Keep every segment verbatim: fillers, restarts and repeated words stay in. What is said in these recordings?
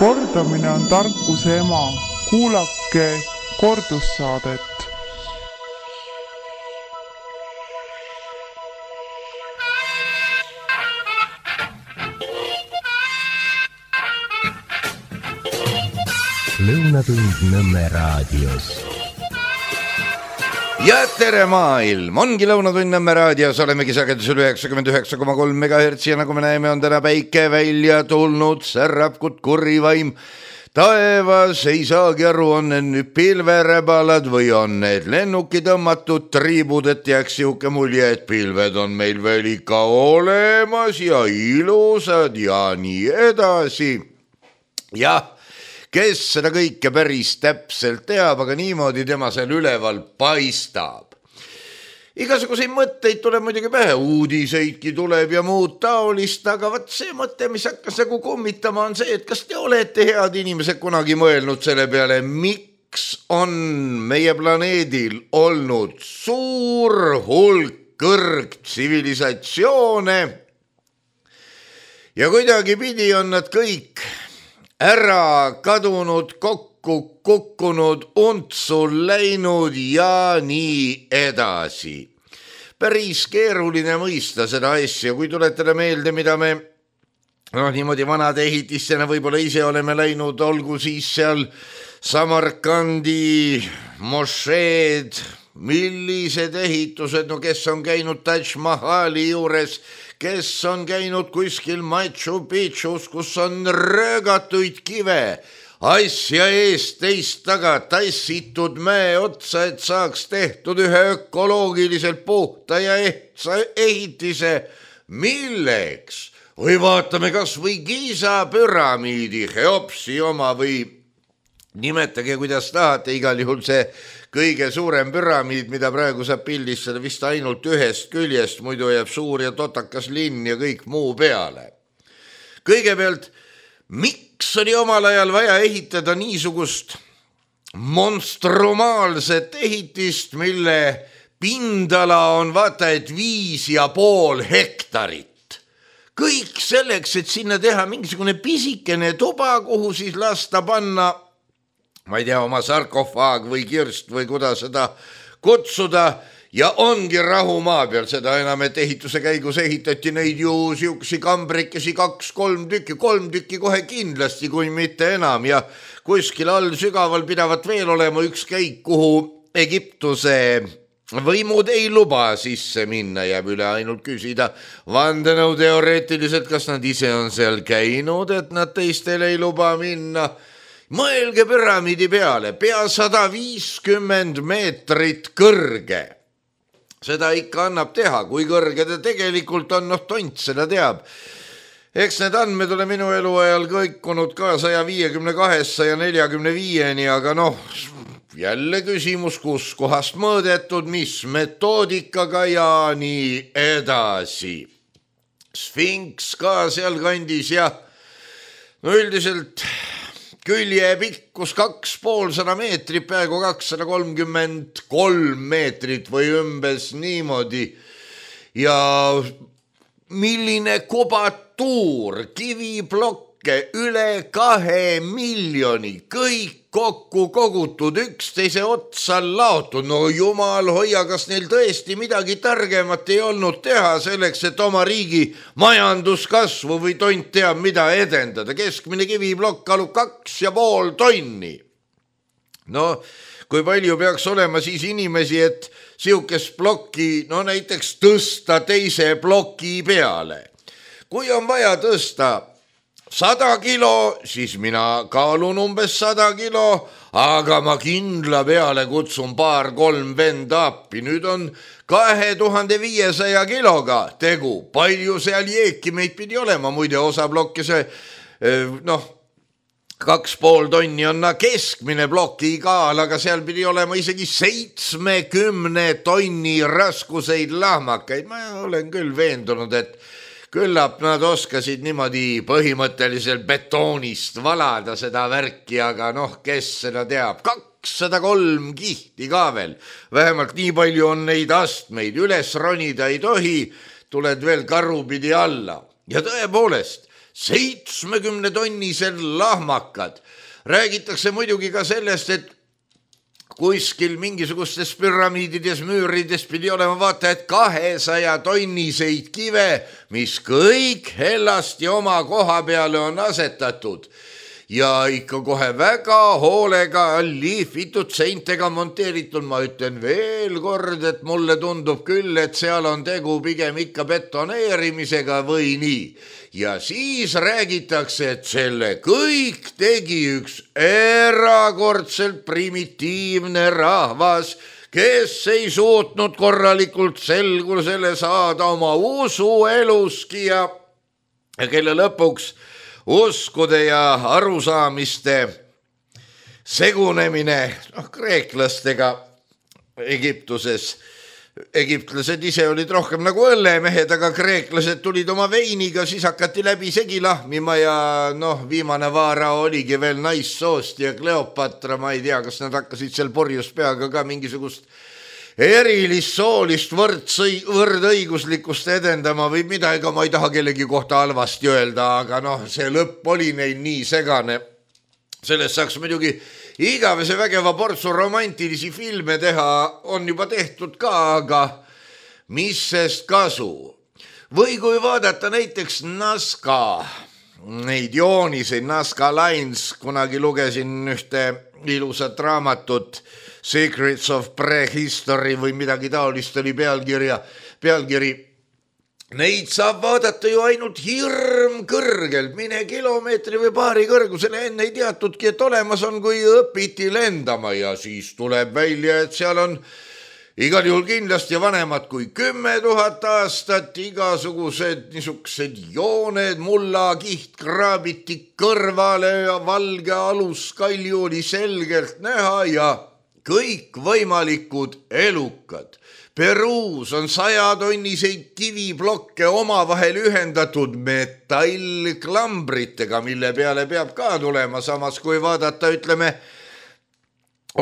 Kordamine on tarkuse ema. Kuulake kordussaadet. Lõunatund Nõmme raadios. Ja tere maailm! Ongi Lõunatund Nõmme raadios, olemegi sagedusel üheksakümmend üheksa koma kolm megahertsi ja nagu me näeme, on täna päike välja tulnud, särab kut kurrivaim. Taevas ei saagi aru, on need pilveräbalad või on need lennuki tõmmatud triibud, et jääks siuke mulje, et pilved on meil veel ikka olemas ja ilusad ja nii edasi. Jah, kes seda kõike päris täpselt teab, aga niimoodi tema seal üleval paistab. Igasuguseid mõtteid tuleb muidugi pähe, uudiseidki tuleb ja muud taolist, aga võt see mõte, mis hakkas nagu kummitama, on see, et kas te olete head inimesed kunagi mõelnud selle peale, miks on meie planeedil olnud suur hulk kõrgtsivilisatsioone ja kuidagi pidi on nad kõik ära kadunud, kokku kukkunud, untsu läinud ja nii edasi. Päris keeruline mõista seda asja, kui tuletada meelde, mida me no, niimoodi vanade ehitissena võib-olla ise oleme läinud, olgu siis seal Samarkandi mošeed, millised ehitused, no kes on käinud Taj Mahali juures, kes on käinud kuskil Machu Picchus, kus on röögatuid kive, asja eest teist taga tassitud mäe otsa, et saaks tehtud ühe ökoloogiliselt puhta ja ehtsa ehitise. Milleks? Või vaatame kas või Giza püramiidi, Cheopsi oma või nimetage, kuidas tahate, igal juhul see kõige suurem püramiid, mida praegu saab pildistada vist ainult ühest küljest, muidu jääb suur ja totakas linn ja kõik muu peale. Kõigepealt, miks oli omal ajal vaja ehitada niisugust monstrumaalset ehitist, mille pindala on vaata, et viis ja pool hektarit. Kõik selleks, et sinna teha mingisugune pisikene tuba, kuhu siis lasta panna ma ei tea, oma sarkofaag või kirst või kuidas seda kutsuda ja ongi rahu maa peal, seda enam, et ehituse käigus ehitati neid ju siuksi kambrikesi kaks-kolm tükki, kolm tükki kohe kindlasti, kui mitte enam ja kuskil all sügaval pidavat veel olema üks käik, kuhu Egiptuse võimud ei luba sisse minna, jääb üle ainult küsida vandenõu teoreetiliselt, kas nad ise on seal käinud, et nad teistel ei luba minna. Mõelge püramiidi peale, pea sada viiskümmend meetrit kõrge. Seda ikka annab teha, kui kõrge ta tegelikult on, noh tont seda teab. Eks need andmed ole minu eluajal kõikunud ka saja viiekümne kahest ja neljakümne viieni, aga noh, jälle küsimus, kus kohast mõõdetud, mis metoodikaga ja nii edasi. Sfinks ka seal kandis ja no üldiselt külje pikkus kaks poolsada meetrit, peaaegu kakssada kolmkümmend kolm meetrit või umbes niimoodi. Ja milline kubatuur, kiviblokke üle kahe miljoni, kõik kokku kogutud, üksteise otsa laotud. No jumal hoia, kas neil tõesti midagi targemat ei olnud teha selleks, et oma riigi majanduskasvu või tont teab mida edendada. Keskmine kiviblokk kalub kaks ja pool tonni. No, kui palju peaks olema siis inimesi, et siukest blokki, no näiteks tõsta teise bloki peale. Kui on vaja tõsta sada kilo, siis mina kaalun umbes sada kilo, aga ma kindla peale kutsun paar-kolm venda appi. Nüüd on kahe tuhande viiesaja kiloga tegu. Palju seal jeeki meid pidi olema, muide osa blokke see, noh, kaks pool tonni on keskmine bloki kaal, aga seal pidi olema isegi seitsmekümne tonni raskuseid lahmakaid. Ma olen küll veendunud, et küllap nad oskasid niimoodi põhimõtteliselt betoonist valada seda värki, aga noh, kes seda teab. kakssada kolm kihti ka veel. Vähemalt nii palju on neid astmeid. Üles ronida ei tohi, tuled veel karupidi alla. Ja tõepoolest, seitsmekümne tonnised lahmakad. Räägitakse muidugi ka sellest, et kuskil mingisugustes püramiidides, müürides pidi olema vaata, et kahesaja tonniseid kive, mis kõik hellasti oma koha peale on asetatud. Ja ikka kohe väga hoolega liifitud seintega monteeritud. Ma ütlen veel kord, et mulle tundub küll, et seal on tegu pigem ikka betoneerimisega või nii. Ja siis räägitakse, et selle kõik tegi üks erakordselt primitiivne rahvas, kes ei suutnud korralikult selgusele saada oma usueluski ja kelle lõpuks uskude ja arusaamiste segunemine noh, kreeklastega Egiptuses. Egiptlased ise olid rohkem nagu õllemehed, aga kreeklased tulid oma veiniga, siis hakati läbi segi lahmima ja noh, viimane vaara oligi veel naissoost ja Kleopatra, ma ei tea, kas nad hakkasid seal porjus peaga ka mingisugust erilist soolist võrdsõi, võrdõiguslikkust edendama või mida, ega ma ei taha kellegi kohta halvasti öelda, aga noh, see lõpp oli neil nii segane. Sellest saaks muidugi igavese vägeva portsu romantilisi filme teha, on juba tehtud ka, aga mis sest kasu? Või kui vaadata näiteks Nazca, neid jooniseid, Nazca Lines, kunagi lugesin ühte ilusat raamatut, Secrets of Prehistory või midagi taolist oli pealkirja, pealkiri. Neid saab vaadata ju ainult hirm kõrgelt, mine kilomeetri või paari kõrgusele, enne ei teatudki, et olemas on, kui õpiti lendama ja siis tuleb välja, et seal on igal juhul kindlasti vanemad kui kümme tuhat aastat, igasugused niisugused jooned, mulla kiht kraabiti kõrvale ja valge aluskalju oli selgelt näha ja kõik võimalikud elukad. Peruus on sajatonniseid kiviblokke omavahel ühendatud metallklambritega, mille peale peab ka tulema, samas kui vaadata, ütleme,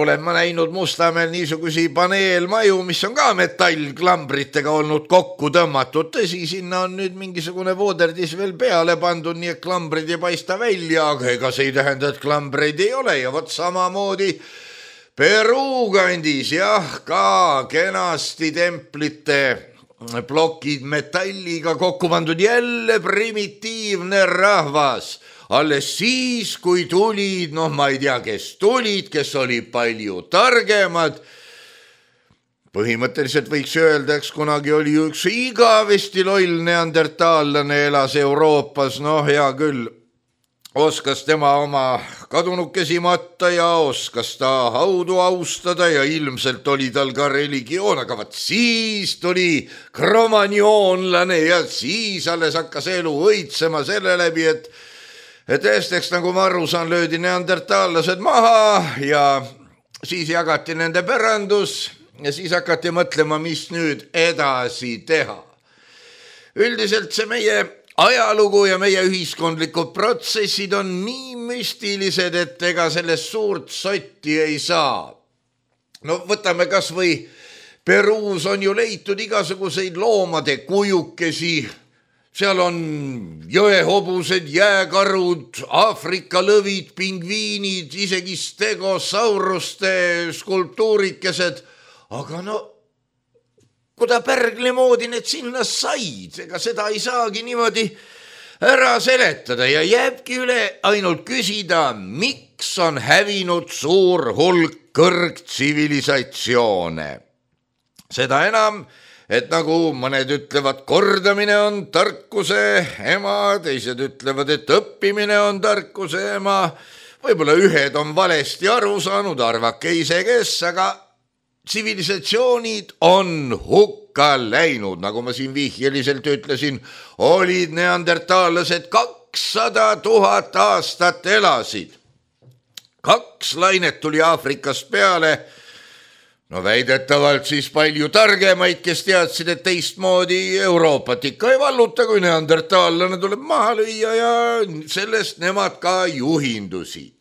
olen ma näinud Mustamäel niisugusi paneelmaju, mis on ka metallklambritega olnud kokku tõmmatud. Tõsi, sinna on nüüd mingisugune vooderdis veel peale pandud, nii et klambrid ei paista välja, aga ega see ei tähenda, et klambreid ei ole ja vot samamoodi Peruu kandis, jah, ka kenasti templite plokid metalliga kokku pandud, jälle primitiivne rahvas. Alles siis, kui tulid, noh, ma ei tea, kes tulid, kes oli palju targemad. Põhimõtteliselt võiks öelda, eks kunagi oli üks igavesti loll neandertaallane elas Euroopas, noh, hea küll. Oskas tema oma kadunukesi matta ja oskas ta haudu austada ja ilmselt oli tal ka religioon, aga vat siis tuli kromagnoonlane ja siis alles hakkas elu õitsema selle läbi, et, et esteks, nagu ma aru saan, löödi neandertaallased maha ja siis jagati nende pärandus ja siis hakati mõtlema, mis nüüd edasi teha. Üldiselt see meie ajalugu ja meie ühiskondlikud protsessid on nii müstilised, et ega sellest suurt sotti ei saa. No võtame kas või Peruus on ju leitud igasuguseid loomade kujukesi. Seal on jõehobused, jääkarud, Aafrika lõvid, pingviinid, isegi stegosauruste skulptuurikesed. Aga no kuda pärgli moodi need sinna said, ega seda ei saagi niimoodi ära seletada ja jääbki üle ainult küsida, miks on hävinud suur hulk kõrgtsivilisatsioone. Seda enam, et nagu mõned ütlevad, kordamine on tarkuse ema, teised ütlevad, et õppimine on tarkuse ema, võib-olla ühed on valesti aru saanud, arvake ise kes, aga tsivilisatsioonid on hukka läinud, nagu ma siin vihjeliselt ütlesin, olid neandertaallased kakssada tuhat aastat elasid. Kaks lainet tuli Aafrikast peale, no väidetavalt siis palju targemaid, kes teadsid, et teistmoodi Euroopat ikka ei valluta, kui neandertaallane tuleb maha lüüa ja sellest nemad ka juhindusid.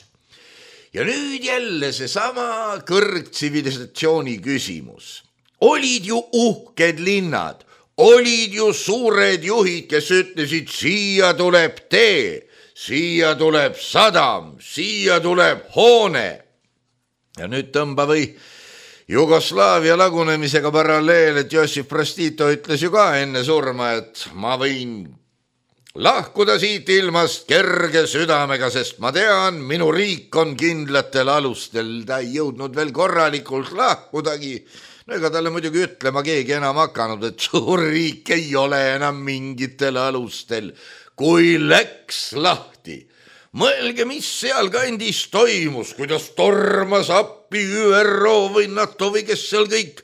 Ja nüüd jälle seesama kõrgtsivilisatsiooni küsimus. Olid ju uhked linnad, olid ju suured juhid, kes ütlesid, siia tuleb tee, siia tuleb sadam, siia tuleb hoone. Ja nüüd tõmba või Jugoslaavia lagunemisega paralleel, et Jossif Broz Tito ütles ju ka enne surma, et ma võin lahkuda siit ilmast kerge südamega, sest ma tean, minu riik on kindlatel alustel. Ta ei jõudnud veel korralikult lahkudagi. No ega talle muidugi ütlema keegi enam hakanud, et suur riik ei ole enam mingitel alustel, kui läks lahti. Mõelge, mis seal kandis toimus, kuidas tormas appi Ü R O või NATO või kes seal kõik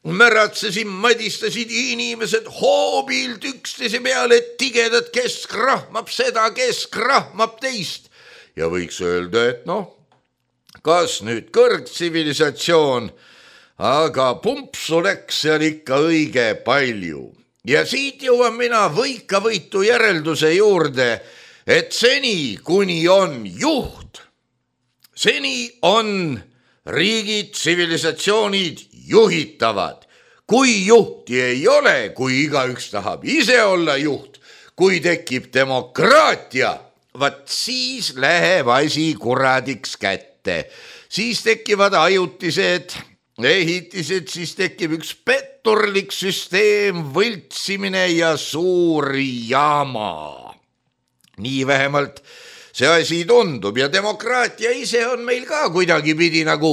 märatsesid, madistasid inimesed hoobilt üksteise peale, et tigedad kesk rahmab seda, kesk rahmab teist. Ja võiks öelda, et noh, kas nüüd kõrgtsivilisatsioon, aga pumpsu läks seal ikka õige palju. Ja siit jõuan mina võika võitu järelduse juurde, et seni, kuni on juht, seni on riigid, tsivilisatsioonid juhitavad. Kui juhti ei ole, kui igaüks tahab ise olla juht, kui tekib demokraatia, vaat siis läheb asi kuradiks kätte. Siis tekivad ajutised ehitised, siis tekib üks petturlik süsteem, võltsimine ja suur jama. Nii vähemalt see asi tundub ja demokraatia ise on meil ka kuidagi pidi nagu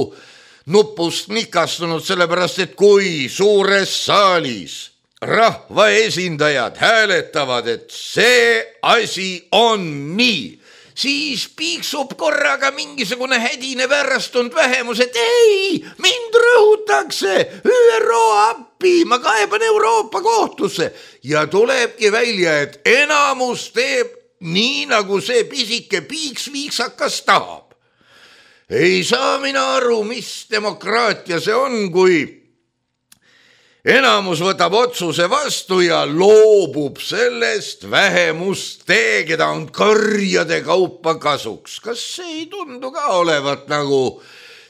nupust nikastunud, sellepärast et kui suures saalis rahva esindajad hääletavad, et see asi on nii, siis piiksub korraga mingisugune hädine väärastunud vähemus, et ei, mind rõhutakse, Ü R O appi, ma kaeban Euroopa kohtusse ja tulebki välja, et enamus teeb nii, nagu see pisike piiks viiksakas tahab. Ei saa mina aru, mis demokraatia see on, kui enamus võtab otsuse vastu ja loobub sellest vähemust tee, keda on karjade kaupa kasuks. Kas see ei tundu ka olevat nagu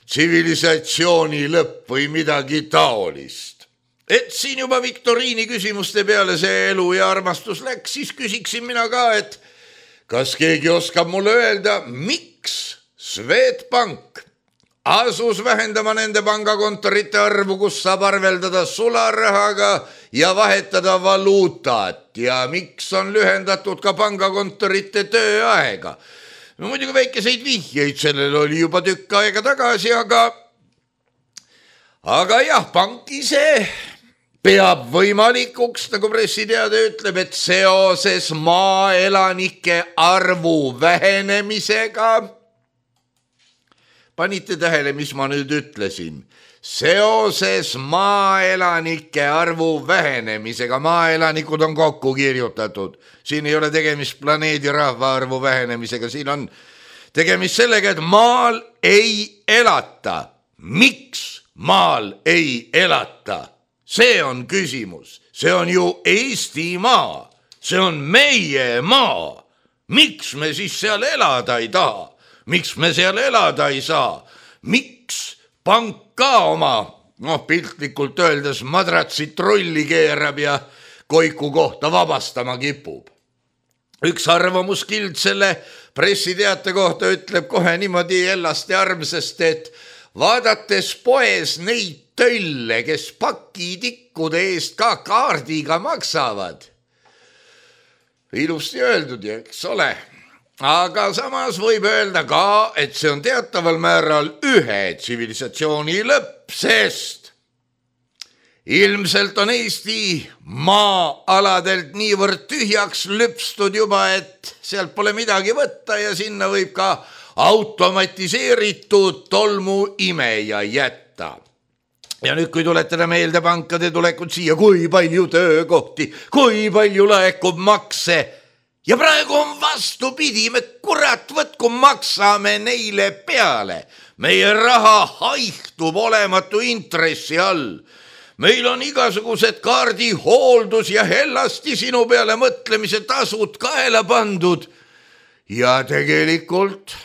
tsivilisatsiooni lõpp või midagi taolist? Et siin juba viktoriini küsimuste peale see elu ja armastus läks, siis küsiksin mina ka, et kas keegi oskab mulle öelda, miks Swedbank asus vähendama nende pangakontorite arvu, kus saab arveldada sularahaga ja vahetada valuutat ja miks on lühendatud ka pangakontorite tööaega. No muidugi väikeseid vihjeid sellel oli juba tükk aega tagasi, aga aga jah, pank ise peab võimalikuks, nagu pressiteade ütleb, et seoses maaelanike arvu vähenemisega, panite tähele, mis ma nüüd ütlesin, seoses maaelanike arvu vähenemisega, maaelanikud on kokku kirjutatud, siin ei ole tegemist planeedi rahvaarvu vähenemisega, siin on tegemist sellega, et maal ei elata. Miks maal ei elata? See on küsimus, see on ju Eesti maa, see on meie maa. Miks me siis seal elada ei taha? Miks me seal elada ei saa? Miks pank ka oma, noh piltlikult öeldes, madratsit trulli keerab ja koiku kohta vabastama kipub? Üks arvamuskild selle pressiteate kohta ütleb kohe niimoodi ellasti armsast, et vaadates poes neid tölle, kes pakitikkude eest ka kaardiga maksavad. Ilusti öeldud, eks ole. Aga samas võib öelda ka, et see on teataval määral ühe tsivilisatsiooni lõpp, sest ilmselt on Eesti maa-aladelt niivõrd tühjaks lüpstud juba, et sealt pole midagi võtta ja sinna võib ka automatiseeritud tolmu imeja jätta. Ja nüüd, kui tuletada meelde pankade tulekut siia, kui palju töökohti, kui palju laekub makse, ja praegu on vastupidi, me kurat võtku maksame neile peale. Meie raha haihtub olematu intressi all. Meil on igasugused kaardi hooldus ja hellasti sinu peale mõtlemise tasud kaela pandud. Ja tegelikult,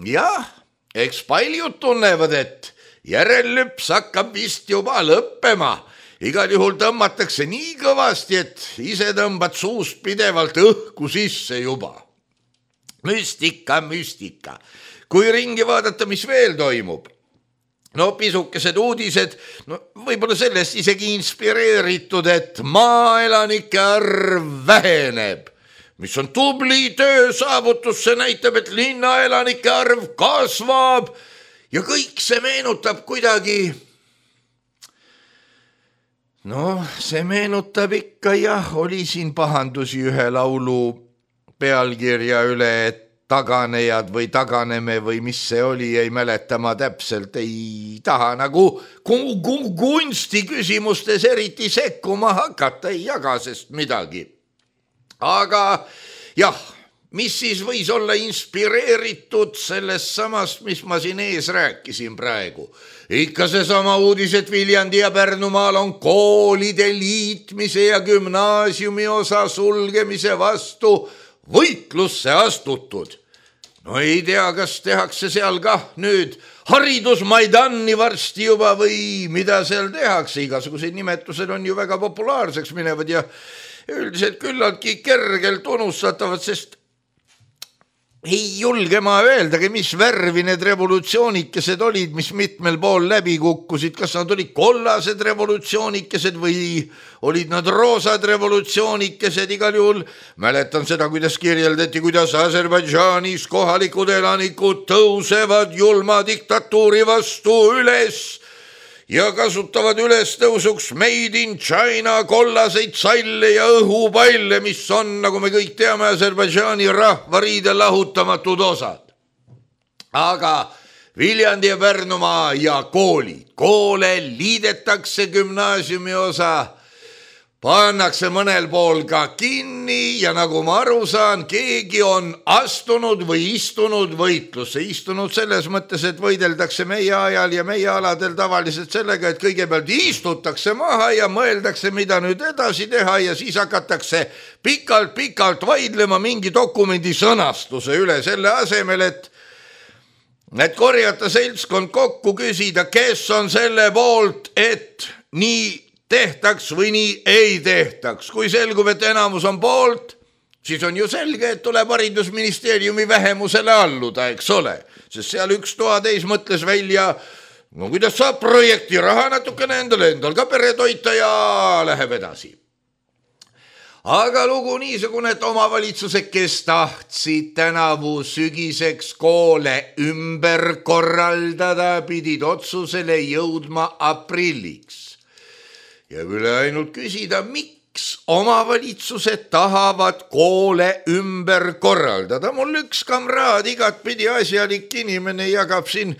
jah, eks paljud tunnevad, et järellüps hakkab vist juba lõppema igal juhul tõmmatakse nii kõvasti, et ise tõmbad suust pidevalt õhku sisse juba. Müstika, müstika. Kui ringi vaadata, mis veel toimub. No pisukesed uudised, no võib-olla sellest isegi inspireeritud, et maaelanike arv väheneb. Mis on tubli töö saavutus, see näitab, et linnaelanike arv kasvab ja kõik see meenutab kuidagi. No see meenutab ikka jah, oli siin pahandusi ühe laulu pealkirja üle, et taganejad või taganeme või mis see oli, ei mäleta ma täpselt, ei taha nagu kunsti küsimustes eriti sekkuma hakata, ei jaga sest midagi. Aga jah, mis siis võis olla inspireeritud sellest samast, mis ma siin ees rääkisin praegu. Ikka see sama uudis, et Viljandi ja Pärnumaal on koolide liitmise ja gümnaasiumi osa sulgemise vastu võitlusse astutud. No ei tea, kas tehakse seal kah nüüd haridusmaidanni varsti juba või mida seal tehakse. Igasugused nimetused on ju väga populaarseks minevad ja üldiselt küllaltki kergelt unustatavad, sest ei julge ma öeldagi, mis värvi need revolutsioonikesed olid, mis mitmel pool läbi kukkusid. Kas nad olid kollased revolutsioonikesed või olid nad roosad revolutsioonikesed? Igal juhul mäletan seda, kuidas kirjeldati, kuidas Aserbaidžaanis kohalikud elanikud tõusevad julma diktatuuri vastu üles ja kasutavad üles tõusuks Made in China kollaseid salle ja õhupalle, mis on, nagu me kõik teame, Aserbaidžaani rahvariide lahutamatud osad. Aga Viljandi ja Pärnumaa ja koolid. Koole liidetakse, gümnaasiumi osa pannakse mõnel pool ka kinni ja nagu ma aru saan, keegi on astunud või istunud võitlusse. Istunud selles mõttes, et võideldakse meie ajal ja meie aladel tavaliselt sellega, et kõigepealt istutakse maha ja mõeldakse, mida nüüd edasi teha ja siis hakatakse pikalt-pikalt vaidlema mingi dokumendi sõnastuse üle selle asemel, et et korjata seltskond kokku, küsida, kes on selle poolt, et nii tehtaks või nii ei tehtaks. Kui selgub, et enamus on poolt, siis on ju selge, et tuleb haridusministeeriumi vähemusele alluda, eks ole. Sest seal üks toateis mõtles välja, no kuidas saab projekti raha natukene endale, endal ka pere toita ja läheb edasi. Aga lugu niisugune, et omavalitsused, kes tahtsid tänavu sügiseks koole ümber korraldada, pidid otsusele jõudma aprilliks. Ja üle ainult küsida, miks omavalitsused tahavad koole ümber korraldada. Mul üks kamraad, igatpidi asjalik inimene, jagab siin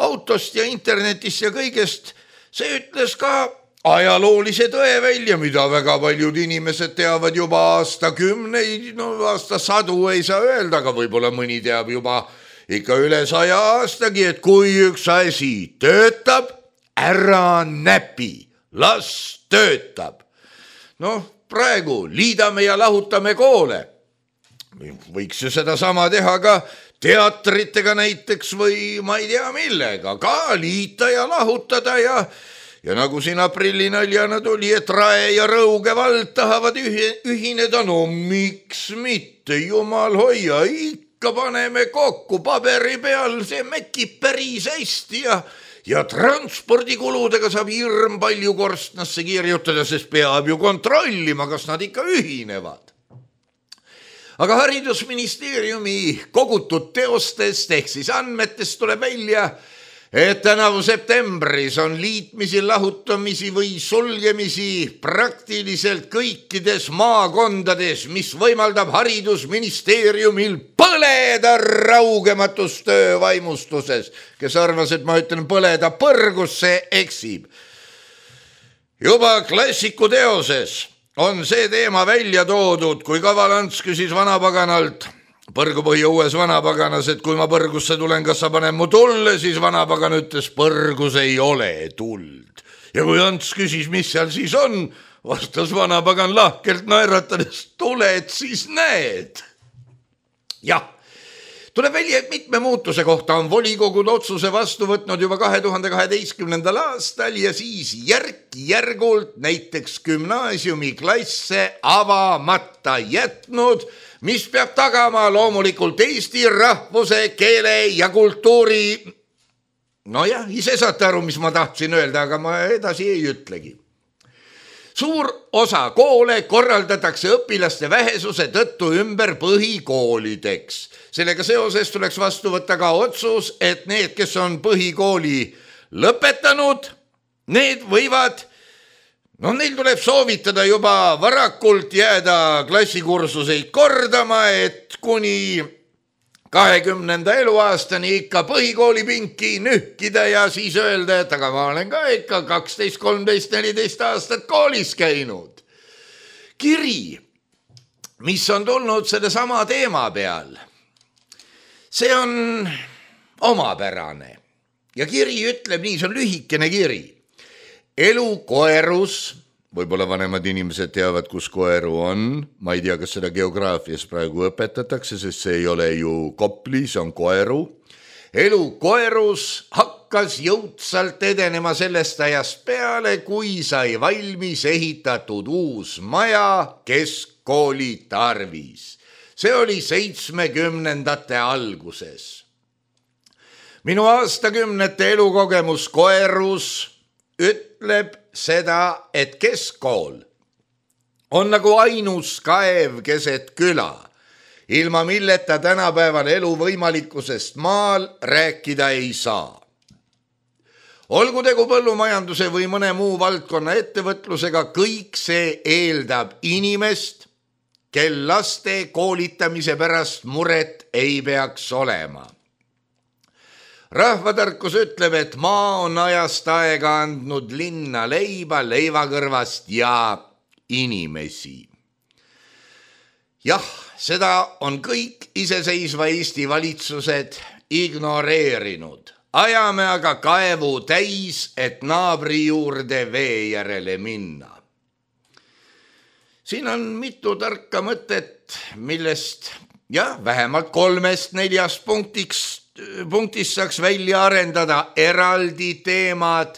autost ja internetist ja kõigest. See ütles ka ajaloolise tõe välja, mida väga paljud inimesed teavad juba aastakümneid, no aastasadu ei saa öelda, aga võib-olla mõni teab juba ikka üle saja aastagi, et kui üks asi töötab, ära näpi. Las töötab. Noh, praegu liidame ja lahutame koole. Võiks ju seda sama teha ka teatritega näiteks või ma ei tea millega. Ka liita ja lahutada ja, ja nagu siin aprillinaljana tuli, et Rae ja Rõuge vald tahavad ühineda. No miks mitte, jumal hoia, ikka paneme kokku paberi peal, see mäkib päris hästi ja Ja transpordikuludega saab hirm palju korstnasse kirjutada, sest peab ju kontrollima, kas nad ikka ühinevad. Aga haridusministeeriumi kogutud teostest ehk siis andmetest tuleb välja, et tänavu septembris on liitmisi, lahutamisi või sulgemisi praktiliselt kõikides maakondades, mis võimaldab haridusministeeriumil põleda raugematus töövaimustuses. Kes arvas, et ma ütlen põleda põrgus, see eksib. Juba klassiku teoses on see teema välja toodud, kui Kavalants küsis vanapaganalt, Põrgupõhja uues vanapaganas, et kui ma Põrgusse tulen, kas sa panen mu tulle, siis vanapagan ütles, Põrgus ei ole tuld. Ja kui Ants küsis, mis seal siis on, vastas vanapagan lahkelt naeratades, tuled siis näed. Jah, Tuleb välja, et mitme muutuse kohta on volikogud otsuse vastu võtnud juba kahe tuhande kaheteistkümnendal aastal ja siis järk-järgult näiteks gümnaasiumiklasse avamata jätnud, mis peab tagama loomulikult eesti rahvuse, keele ja kultuuri. Nojah, ise saate aru, mis ma tahtsin öelda, aga ma edasi ei ütlegi. Suur osa koole korraldatakse õpilaste vähesuse tõttu ümber põhikoolideks. Sellega seoses tuleks vastu võtta ka otsus, et need, kes on põhikooli lõpetanud, need võivad, no neil tuleb soovitada juba varakult jääda klassikursuseid kordama, et kuni kahekümnenda eluaastani ikka põhikooli pinki nühkida ja siis öelda, et aga ma olen ka ikka kaksteist, kolmteist, neliteist aastat koolis käinud. Kiri, mis on tulnud selle sama teema peal, see on omapärane ja kiri ütleb nii, see on lühikene kiri. Elu koerus, võib-olla vanemad inimesed teavad, kus koeru on. Ma ei tea, kas seda geograafias praegu õpetatakse, sest see ei ole ju Kopli, see on koeru. Elu koerus hakkas jõudsalt edenema sellest ajast peale, kui sai valmis ehitatud uus maja keskkooli tarvis. See oli seitsmekümnendate alguses. Minu aastakümnete elukogemus koerus ütleb seda, et keskkool on nagu ainus kaev keset küla, ilma milleta tänapäeval elu võimalikkusest maal rääkida ei saa. Olgu tegu põllumajanduse või mõne muu valdkonna ettevõtlusega, kõik see eeldab inimest, kel laste koolitamise pärast muret ei peaks olema. Rahvatarkus ütleb, et maa on ajast aega andnud linna leiba, leivakõrvast ja inimesi. Jah, seda on kõik iseseisva Eesti valitsused ignoreerinud. Ajame aga kaevu täis, et naabri juurde vee järele minna. Siin on mitu tarka mõtet, millest jah, vähemalt kolmest neljast punktiks punktis saaks välja arendada eraldi teemad,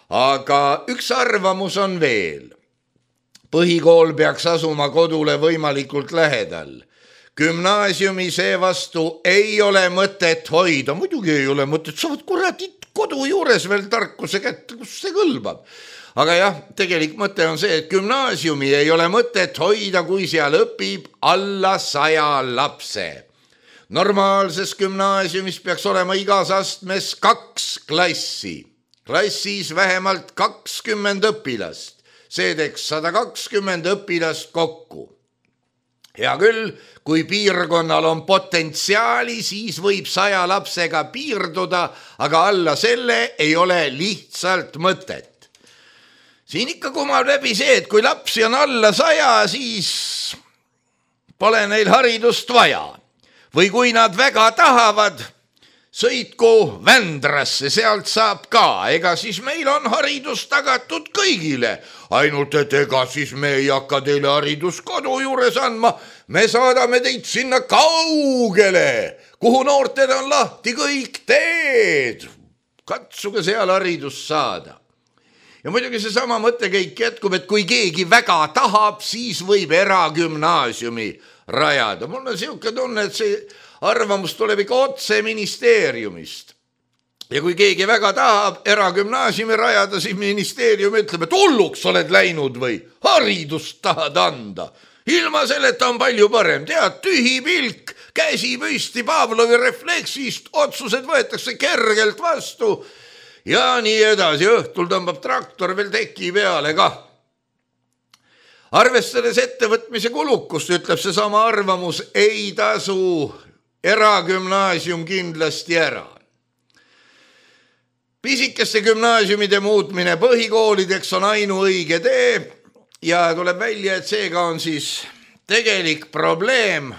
aga üks arvamus on veel. Põhikool peaks asuma kodule võimalikult lähedal. Gümnaasiumi seevastu ei ole mõtet hoida, muidugi ei ole mõtet, saavad kuradid kodu juures veel tarkuse kätte, kus see kõlbab. Aga jah, tegelik mõte on see, et gümnaasiumi ei ole mõtet hoida, kui seal õpib alla saja lapse. Normaalses gümnaasiumis peaks olema igas astmes kaks klassi. Klassis vähemalt kakskümmend õpilast. See teeks sada kakskümmend õpilast kokku. Hea küll, kui piirkonnal on potentsiaali, siis võib saja lapsega piirduda, aga alla selle ei ole lihtsalt mõtet. Siin ikka kumab läbi see, et kui lapsi on alla saja, siis pole neil haridust vaja. Või kui nad väga tahavad, sõitku Vändrasse, sealt saab ka. Ega siis meil on haridus tagatud kõigile. Ainult, et ega siis me ei hakka teile haridus kodu juures andma. Me saadame teid sinna kaugele, kuhu noorted on lahti kõik teed. Katsuge seal haridus saada. Ja muidugi see sama mõttekäik jätkub, et kui keegi väga tahab, siis võib eragümnaasiumi rajada. Mul on siuke tunne, et see arvamus tuleb ikka otse ministeeriumist. Ja kui keegi väga tahab eragümnaasiumi rajada, siis ministeerium ütleb, et hulluks oled läinud või haridust tahad anda. Ilma selleta on palju parem. Tead, tühi pilk, käsi püsti Pavlovi refleksist, otsused võetakse kergelt vastu ja nii edasi. Õhtul tõmbab traktor veel teki peale kah. Arvestades ettevõtmise kulukust, ütleb see sama arvamus, ei tasu eragümnaasium kindlasti ära. Pisikeste gümnaasiumide muutmine põhikoolideks on ainuõige tee ja tuleb välja, et seega on siis tegelik probleem,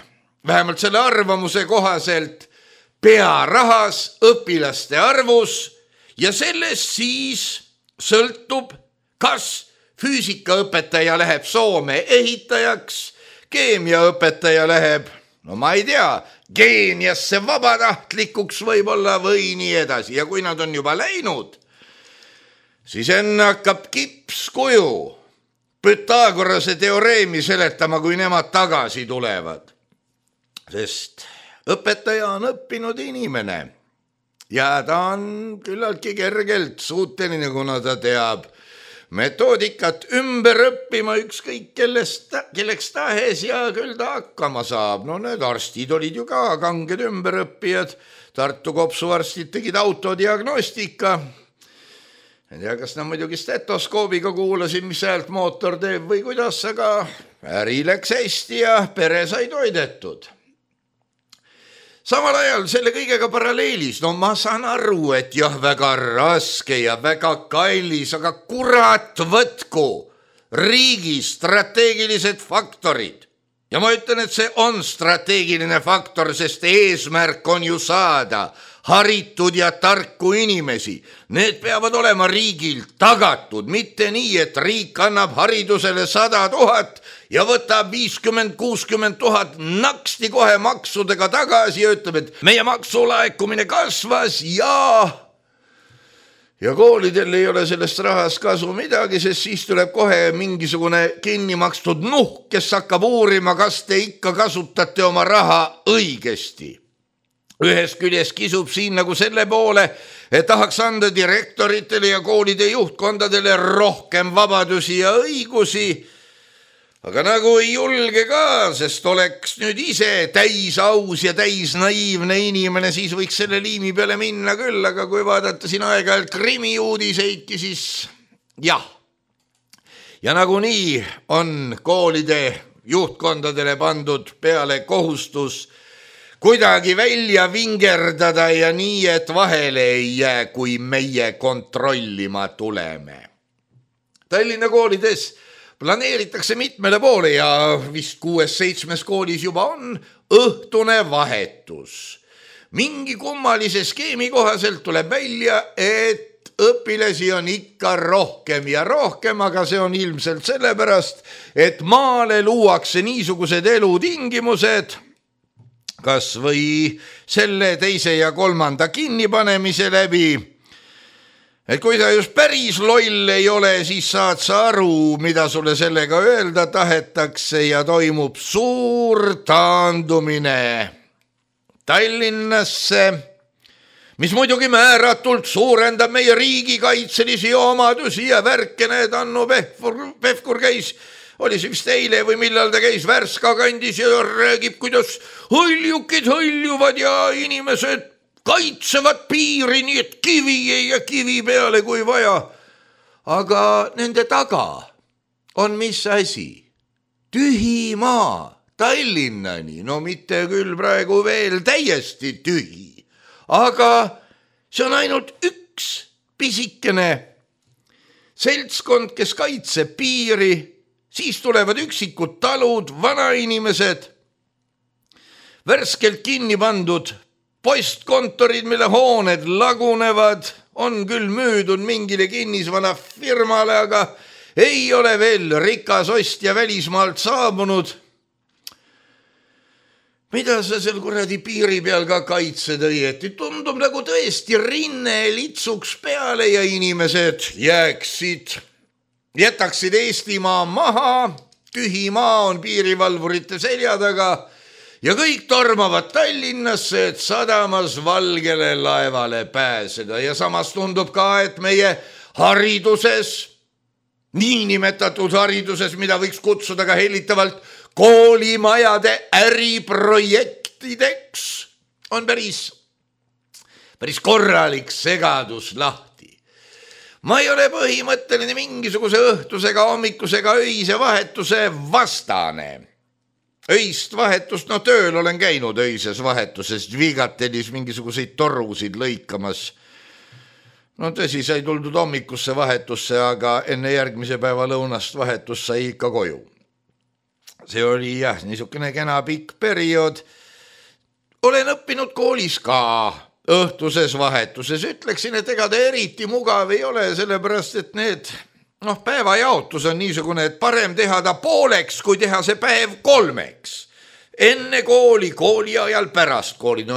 vähemalt selle arvamuse kohaselt, pearahas, õpilaste arvus ja sellest siis sõltub, kas füüsikaõpetaja läheb Soome ehitajaks, keemiaõpetaja läheb no ma ei tea, Keeniasse vabatahtlikuks võib-olla või nii edasi. Ja kui nad on juba läinud, siis enne hakkab kipskuju Pythagorase teoreemi seletama, kui nemad tagasi tulevad. Sest õpetaja on õppinud inimene ja ta on küllaltki kergelt suuteline, kuna ta teab metoodikat ümber õppima ükskõik kellest, kelleks tahes ja küll ta hakkama saab. No need arstid olid ju ka kanged ümberõppijad. Tartu kopsuarstid tegid autodiagnostika. Ei tea, kas nad muidugi stetoskoobiga kuulasid, mis häält mootor teeb või kuidas, aga äri läks hästi ja pere sai toidetud. Samal ajal selle kõigega paralleelis, no ma saan aru, et jah, väga raske ja väga kallis, aga kurat võtku riigi strateegilised faktorid. Ja ma ütlen, et see on strateegiline faktor, sest eesmärk on ju saada haritud ja tarku inimesi. Need peavad olema riigil tagatud, mitte nii, et riik annab haridusele sada tuhat ja võtab viiskümmend kuuskümmend tuhat naksti kohe maksudega tagasi ja ütleb, et meie maksulaekumine kasvas ja ja koolidel ei ole sellest rahast kasu midagi, sest siis tuleb kohe mingisugune kinni makstud nuhk, kes hakkab uurima, kas te ikka kasutate oma raha õigesti. Ühest küljest kisub siin nagu selle poole, et tahaks anda direktoritele ja koolide juhtkondadele rohkem vabadusi ja õigusi, aga nagu ei julge ka, sest oleks nüüd ise täis aus ja täis naiivne inimene, siis võiks selle liimi peale minna küll, aga kui vaadata siin aeg-ajalt krimiuudiseidki, siis jah. Ja nagunii on koolide juhtkondadele pandud peale kohustus kuidagi välja vingerdada ja nii, et vahele ei jää, kui meie kontrollima tuleme. Tallinna koolides planeeritakse mitmele poole ja vist kuues-seitsmes koolis juba on õhtune vahetus. Mingi kummalise skeemi kohaselt tuleb välja, et õpilasi on ikka rohkem ja rohkem, aga see on ilmselt sellepärast, et maale luuakse niisugused elutingimused, kas või selle teise ja kolmanda kinnipanemise läbi. Et kui ta just päris loll ei ole, siis saad sa aru, mida sulle sellega öelda tahetakse ja toimub suur taandumine Tallinnasse, mis muidugi määratult suurendab meie riigikaitselisi omadusi ja värke. Need Annu Pevkur, Pevkur käis, oli see vist eile või millal ta käis Värska kandis ja räägib, kuidas hõljukid hõljuvad ja inimesed kaitsevad piiri, nii et kivi ei ja kivi peale kui vaja. Aga nende taga on mis asi? Tühi maa Tallinnani, no mitte küll praegu veel täiesti tühi, aga see on ainult üks pisikene seltskond, kes kaitseb piiri. Siis tulevad üksikud talud, vanainimesed, värskelt kinni pandud postkontorid, mille hooned lagunevad, on küll müüdud mingile kinnisvana firmale, aga ei ole veel rikas ostja välismaalt saabunud. Mida sa seal kuradi piiri peal ka kaitsed õieti? Tundub nagu tõesti rinne litsuks peale ja inimesed jääksid jätaksid Eestimaa maha, tühi maa on piirivalvurite selja taga ja kõik tormavad Tallinnasse, et sadamas valgele laevale pääseda. Ja samas tundub ka, et meie hariduses, niinimetatud hariduses, mida võiks kutsuda ka hellitavalt koolimajade äriprojektideks, on päris, päris korralik segadus lahti. Ma ei ole põhimõtteline mingisuguse õhtusega, hommikusega öise vahetuse vastane. Öist vahetust, no tööl olen käinud öises vahetuses, Vigatelis mingisuguseid torusid lõikamas. No tõsi, sai tuldud hommikusse vahetusse, aga enne järgmise päeva lõunast vahetus sai ikka koju. See oli jah, niisugune kena pikk periood. Olen õppinud koolis ka õhtuses vahetuses. Ütleksin, et ega ta eriti mugav ei ole, sellepärast, et need noh, päevajaotus on niisugune, et parem teha ta pooleks, kui teha see päev kolmeks. enne kooli, kooli ajal pärast kooli. No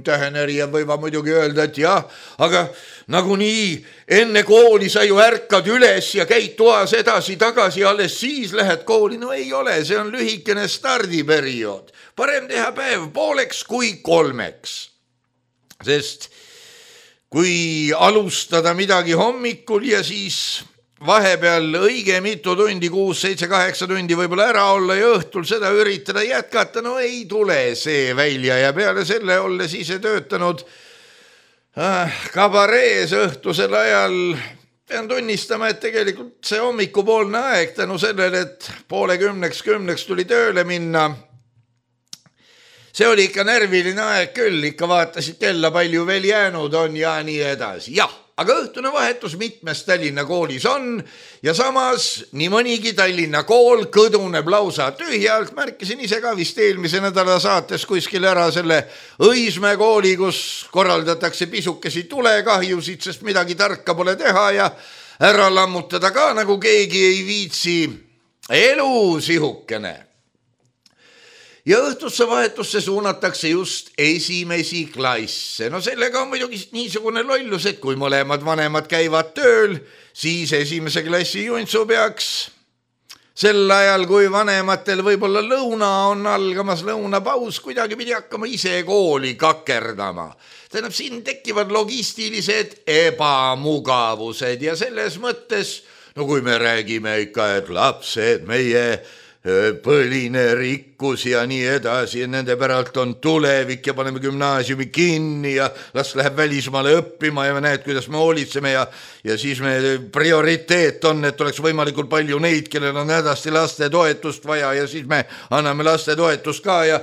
tähenerijad võivad muidugi öelda, et jah, aga nagunii enne kooli sa ju ärkad üles ja käid toas edasi tagasi, alles siis lähed kooli. No ei ole, see on lühikene stardiperiood. Parem teha päev pooleks kui kolmeks. Sest kui alustada midagi hommikul ja siis vahepeal õige mitu tundi, kuus, seitse, kaheksa tundi võib-olla ära olla ja õhtul seda üritada jätkata, no ei tule see välja ja peale selle olles ise töötanud äh, kabarees õhtusel ajal pean tunnistama, et tegelikult see hommikupoolne aeg tänu sellele, et poole kümneks kümneks tuli tööle minna, see oli ikka närviline aeg küll, ikka vaatasid kella palju veel jäänud on ja nii edasi, jah. Aga õhtune vahetus mitmes Tallinna koolis on ja samas nii mõnigi Tallinna kool kõduneb lausa tühjalt. Märkisin ise ka vist eelmise nädala saates kuskil ära selle Õismäe kooli, kus korraldatakse pisukesi tulekahjusid, sest midagi tarka pole teha ja ära lammutada ka nagu keegi ei viitsi. Elu sihukene. Ja õhtusse vahetusse suunatakse just esimesi klasse. No sellega on muidugi niisugune lollus, et kui mõlemad vanemad käivad tööl, siis esimese klassi juntsu peaks sel ajal, kui vanematel võib-olla lõuna on algamas, lõunapaus, kuidagi pidi hakkama ise kooli kakerdama. Tähendab, siin tekivad logistilised ebamugavused ja selles mõttes, no kui me räägime ikka, et lapsed, meie põline rikkus ja nii edasi ja nende päralt on tulevik ja paneme gümnaasiumi kinni ja las läheb välismaale õppima ja me näed, kuidas me hoolitseme ja, ja siis me prioriteet on, et oleks võimalikult palju neid, kellel on hädasti laste toetust vaja ja siis me anname laste toetust ka ja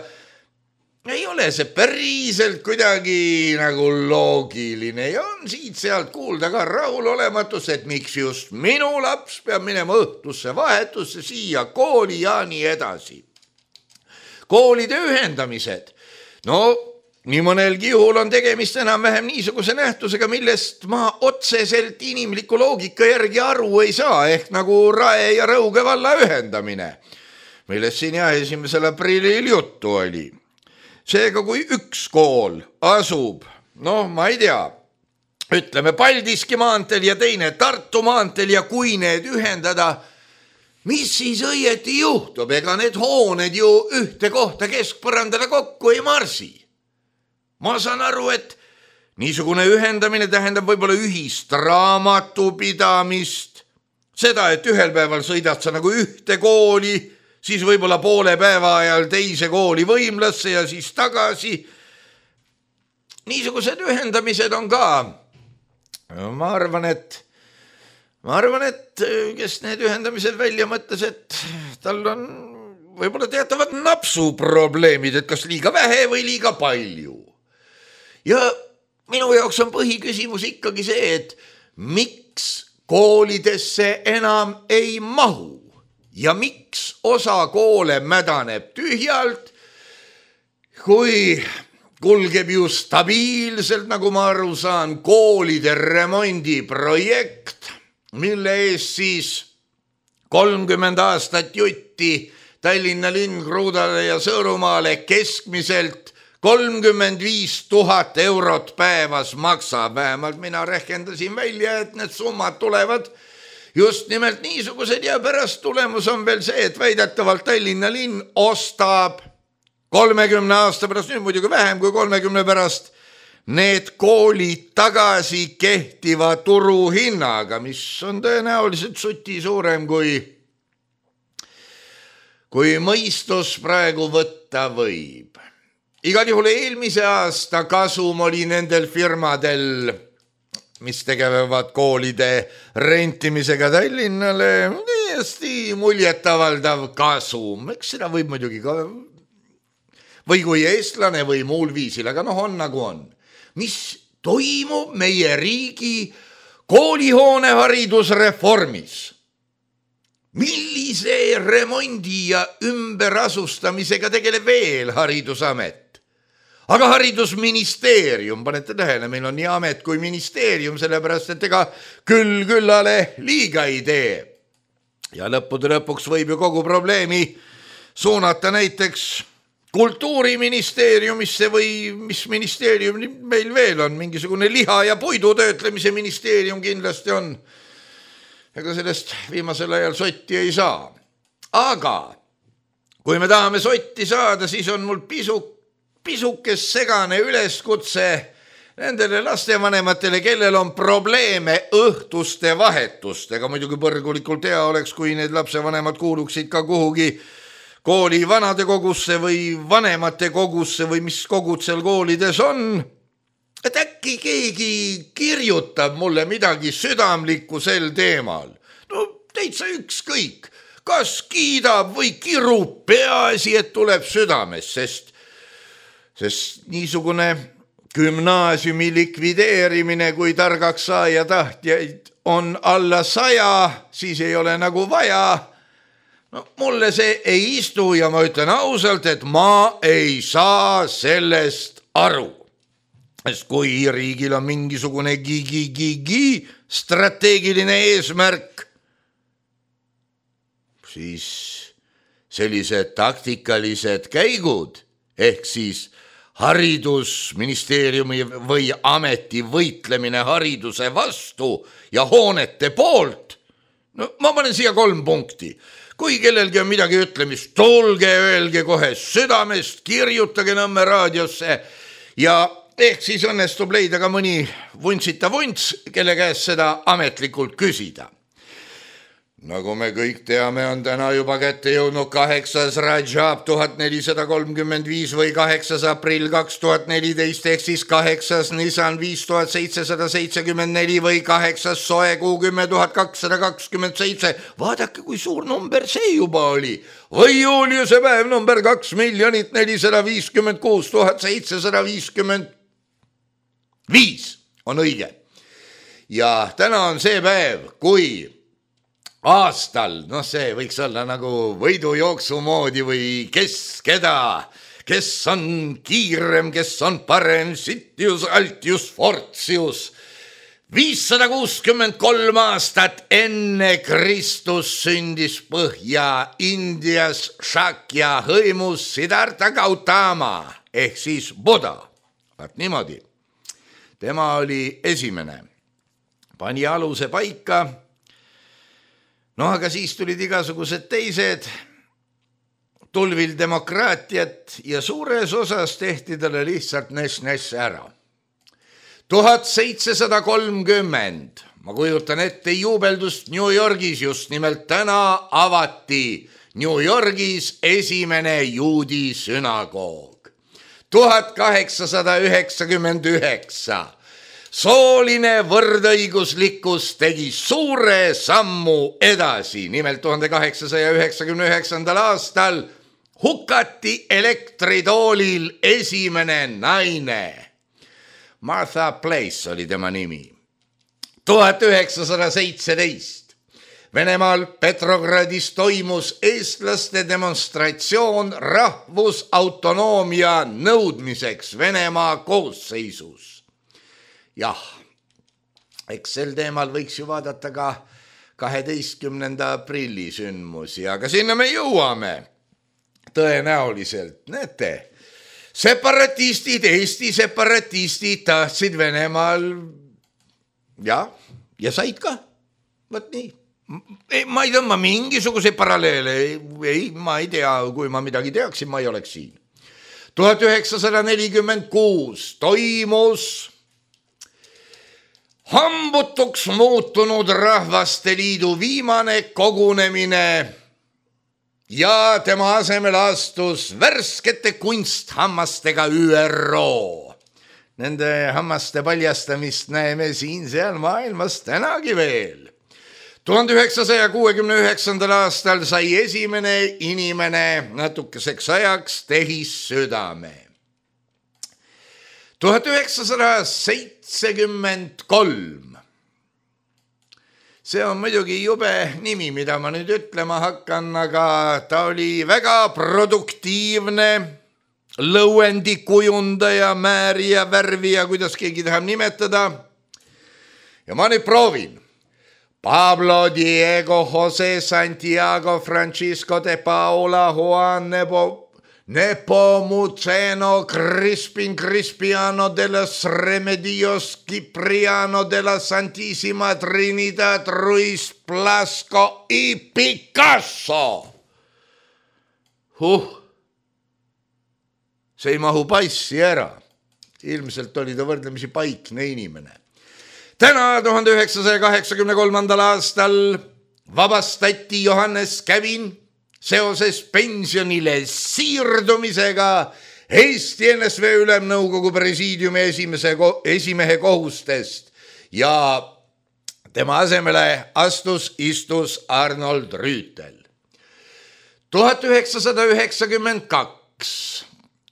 ei ole see päriselt kuidagi nagu loogiline ja on siit sealt kuulda ka rahulolematus, et miks just minu laps peab minema õhtusse vahetusse siia kooli ja nii edasi. Koolide ühendamised. No, nii mõnelgi juhul on tegemist enam-vähem niisuguse nähtusega, millest ma otseselt inimliku loogika järgi aru ei saa, ehk nagu Rae ja Rõuge valla ühendamine, millest siin jah esimesel aprillil juttu oli. Seega, kui üks kool asub, noh, ma ei tea, ütleme Paldiski maanteel ja teine Tartu maanteel ja kui need ühendada, mis siis õieti juhtub? Ega need hooned ju ühte kohta keskpõrandale kokku ei marsi. Ma saan aru, et niisugune ühendamine tähendab võib-olla ühist raamatupidamist, seda, et ühel päeval sõidad sa nagu ühte kooli, siis võib-olla poole päeva ajal teise kooli Võimlasse ja siis tagasi. Niisugused ühendamised on ka. Ma arvan, et, ma arvan, et kes need ühendamised välja mõtles, et tal on võib-olla teatavad napsuprobleemid, et kas liiga vähe või liiga palju. Ja minu jaoks on põhiküsimus ikkagi see, et miks koolidesse enam ei mahu? Ja miks osa koole mädaneb tühjalt, kui kulgeb ju stabiilselt, nagu ma aru saan, koolide remondi projekt, mille ees siis kolmkümmend aastat jutti Tallinna linn Kruudale ja Sõõrumaale keskmiselt kolmkümmend viis tuhat eurot päevas maksab. Vähemalt mina rehkendasin välja, et need summad tulevad just nimelt niisugused ja pärast tulemus on veel see, et väidetavalt Tallinna linn ostab kolmekümne aasta pärast, nüüd muidugi vähem kui kolmekümne pärast, need koolid tagasi kehtiva turuhinnaga, mis on tõenäoliselt suti suurem kui, kui mõistus praegu võtta võib. Igal juhul eelmise aasta kasum oli nendel firmadel, mis tegevad koolide rentimisega Tallinnale, täiesti muljetavaldav kasum. Eks seda võib muidugi ka, või kui eestlane või muul viisil, aga noh on nagu on. Mis toimub meie riigi koolihoone haridusreformis? Millise remondi ja ümberasustamisega tegeleb veel haridusamet? Aga haridusministeerium, panete tähele, meil on nii amet kui ministeerium, sellepärast, et ega küll küllale liiga ei tee. Ja lõppude lõpuks võib ju kogu probleemi suunata näiteks kultuuriministeeriumisse või mis ministeerium meil veel on, mingisugune liha ja puidu töötlemise ministeerium kindlasti on. Ega sellest viimasel ajal sotti ei saa. Aga kui me tahame sotti saada, siis on mul pisu, pisukes segane üleskutse nendele lastevanematele, kellel on probleeme õhtuste vahetustega. Muidugi põrgulikult hea oleks, kui need lapsevanemad kuuluksid ka kuhugi kooli vanade kogusse või vanemate kogusse või mis kogud seal koolides on. Et äkki keegi kirjutab mulle midagi südamlikku sel teemal. No täitsa ükskõik, kas kiidab või kirub, peaasi, et tuleb südames, sest, sest niisugune gümnaasiumi likvideerimine, kui targaks saaja tahtjaid on alla saja, siis ei ole nagu vaja. No, mulle see ei istu ja ma ütlen ausalt, et ma ei saa sellest aru. Sest kui riigil on mingisugune gi-gi-gi-gi strateegiline eesmärk, siis sellised taktikalised käigud ehk siis haridusministeeriumi või ameti võitlemine hariduse vastu ja hoonete poolt, no ma panen siia kolm punkti. Kui kellelgi on midagi ütlemist, tulge, öelge kohe südamest, kirjutage Nõmme raadiosse ja ehk siis õnnestub leida ka mõni vuntsita vunts, kelle käest seda ametlikult küsida. Nagu me kõik teame, on täna juba kätte jõudnud kaheksas Rajab tuhat nelisada kolmkümmend viis või kaheksas aprill kaks tuhat neliteist ehk siis kaheksas Nisan viis tuhat seitsesada seitsekümmend neli või kaheksas Soekuu kümme tuhat kakssada kakskümmend seitse. Vaadake, kui suur number see juba oli. Või Juliuse päev number kaks miljonit nelisada viiskümmend kuus tuhat seitsesada viiskümmend viis on õige. Ja täna on see päev, kui aastal, noh see võiks olla nagu võidujooksu moodi või kes keda, kes on kiirem, kes on parem, Sitius, Altius, Fortius. viissada kuuskümmend kolm aastat enne Kristus sündis Põhja-Indias Shakya hõimus Siddhartha Gautama ehk siis Buddha. Vaat niimoodi. Tema oli esimene. Pani aluse paika. No aga siis tulid igasugused teised, tulvil demokraatiat ja suures osas tehti talle lihtsalt nes-nes ära. tuhat seitsesada kolmkümmend, ma kujutan ette juubeldust New Yorgis, just nimelt täna avati New Yorgis esimene juudi sünagoog. tuhat kaheksasada üheksakümmend üheksa. Sooline võrdõiguslikkus tegi suure sammu edasi. Nimelt tuhande kaheksasaja üheksakümne üheksandal aastal hukati elektritoolil esimene naine. Martha Place oli tema nimi. tuhat üheksasada seitseteist. Venemaal Petrogradis toimus eestlaste demonstratsioon rahvusautonoomia nõudmiseks Venemaa koosseisus. Jah, eks sel teemal võiks ju vaadata ka kaheteistkümnenda aprilli sündmusi, aga sinna me jõuame tõenäoliselt. Näete, separatistid, Eesti separatistid tahtsid Venemaal ja, ja said ka. Võt nii. Ma ei tõmba mingisuguse paralleele, ei, ma ei tea, kui ma midagi teaksin, ma ei oleks siin. tuhat üheksasada nelikümmend kuus toimus hambutuks muutunud Rahvaste Liidu viimane kogunemine ja tema asemel astus värskete kunsthammastega Ü R O. Nende hammaste paljastamist näeme siin seal maailmas tänagi veel. tuhande üheksasaja kuuekümne üheksandal aastal sai esimene inimene natukeseks ajaks tehissüdame. tuhat üheksasada seitsekümmend kolm. See on muidugi jube nimi, mida ma nüüd ütlema hakkan, aga ta oli väga produktiivne lõuendikujundaja, määrija, värvija, kuidas keegi tahab nimetada. Ja ma nüüd proovin. Pablo Diego José Santiago Francisco de Paula Juan Nebo Nepomuceno Crispin Crispiano de los Remedios Cipriano de la Santísima Trinidad Ruiz Blasco y Picasso. Huh. See ei mahu passi ära. Ilmselt oli ta võrdlemisi paikne inimene. Täna tuhande üheksasaja kaheksakümne kolmandal aastal vabastati Johannes Kävin seoses pensionile siirdumisega Eesti N S V Ülemnõukogu presiidiumi esimese, esimehe kohustest ja tema asemele astus istus Arnold Rüütel. tuhat üheksasada üheksakümmend kaks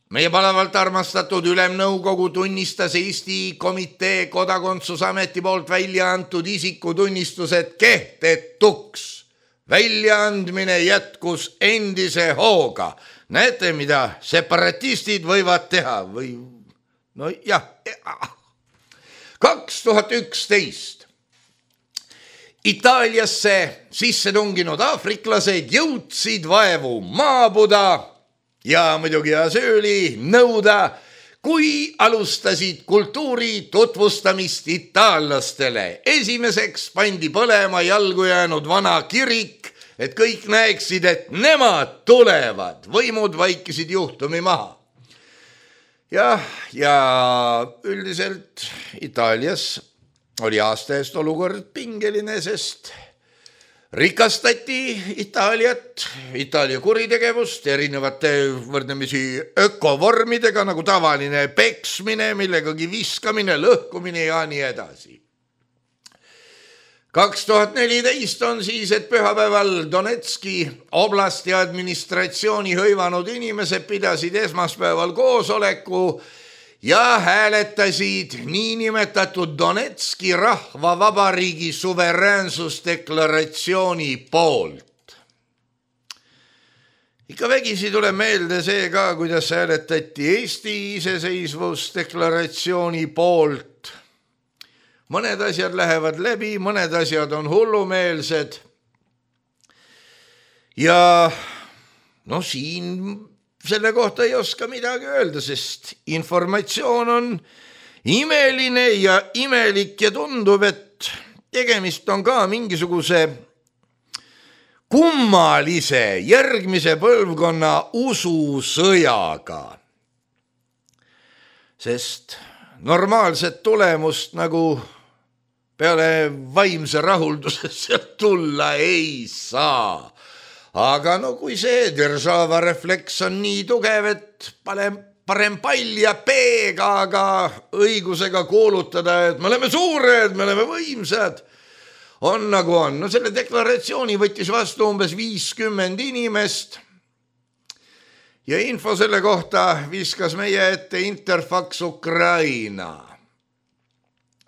meie palavalt armastatud Ülemnõukogu tunnistas Eesti Komitee Kodakondsusameti poolt välja antud isikutunnistused kehtetuks. Väljaandmine jätkus endise hooga. Näete, mida separatistid võivad teha või no jah. kaks tuhat üksteist Itaaliasse sisse tunginud aafriklased jõudsid vaevu maabuda ja muidugi ja sööli nõuda, kui alustasid kultuuri tutvustamist itaallastele. Esimeseks pandi põlema jalgu jäänud vana kirik, et kõik näeksid, et nemad tulevad. Võimud vaikisid juhtumi maha. Ja, ja üldiselt Itaalias oli aasta eest olukord pingeline, sest rikastati Itaaliat, Itaalia kuritegevust erinevate võrdlemisi ökovormidega nagu tavaline peksmine, millegagi viskamine, lõhkumine ja nii edasi. kaks tuhat neliteist on siis, et pühapäeval Donetski oblasti administratsiooni hõivanud inimesed pidasid esmaspäeval koosoleku ja hääletasid niinimetatud Donetski rahvavabariigi suveräänsusdeklaratsiooni poolt. Ikka vägisi tuleb meelde see ka, kuidas hääletati Eesti iseseisvusdeklaratsiooni poolt. Mõned asjad lähevad läbi, mõned asjad on hullumeelsed. Ja no siin selle kohta ei oska midagi öelda, sest informatsioon on imeline ja imelik ja tundub, et tegemist on ka mingisuguse kummalise järgmise põlvkonna ususõjaga. Sest normaalset tulemust nagu peale vaimse rahulduse sealt tulla ei saa. Aga no kui see держава refleks on nii tugev, et parem, parem pall ja peega, aga õigusega kuulutada, et me oleme suured, me oleme võimsad, on nagu on. No selle deklaratsiooni võttis vastu umbes viiskümmend inimest ja info selle kohta viskas meie ette Interfax Ukraina.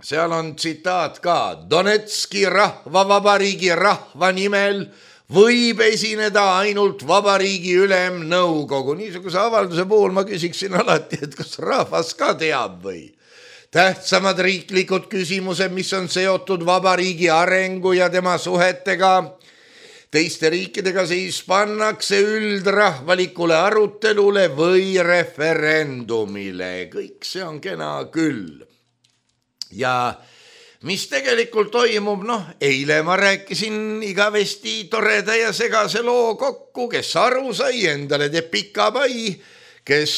Seal on tsitaat ka. Donetski rahvavabariigi rahva nimel võib esineda ainult vabariigi ülemnõukogu. Niisuguse avalduse puhul ma küsiksin alati, et kas rahvas ka teab või? Tähtsamad riiklikud küsimused, mis on seotud vabariigi arengu ja tema suhetega teiste riikidega, siis pannakse üldrahvalikule arutelule või referendumile. Kõik see on kena küll. Ja mis tegelikult toimub, noh, eile ma rääkisin igavesti toreda ja segase loo kokku, kes aru sai, endale teeb pika pai, kes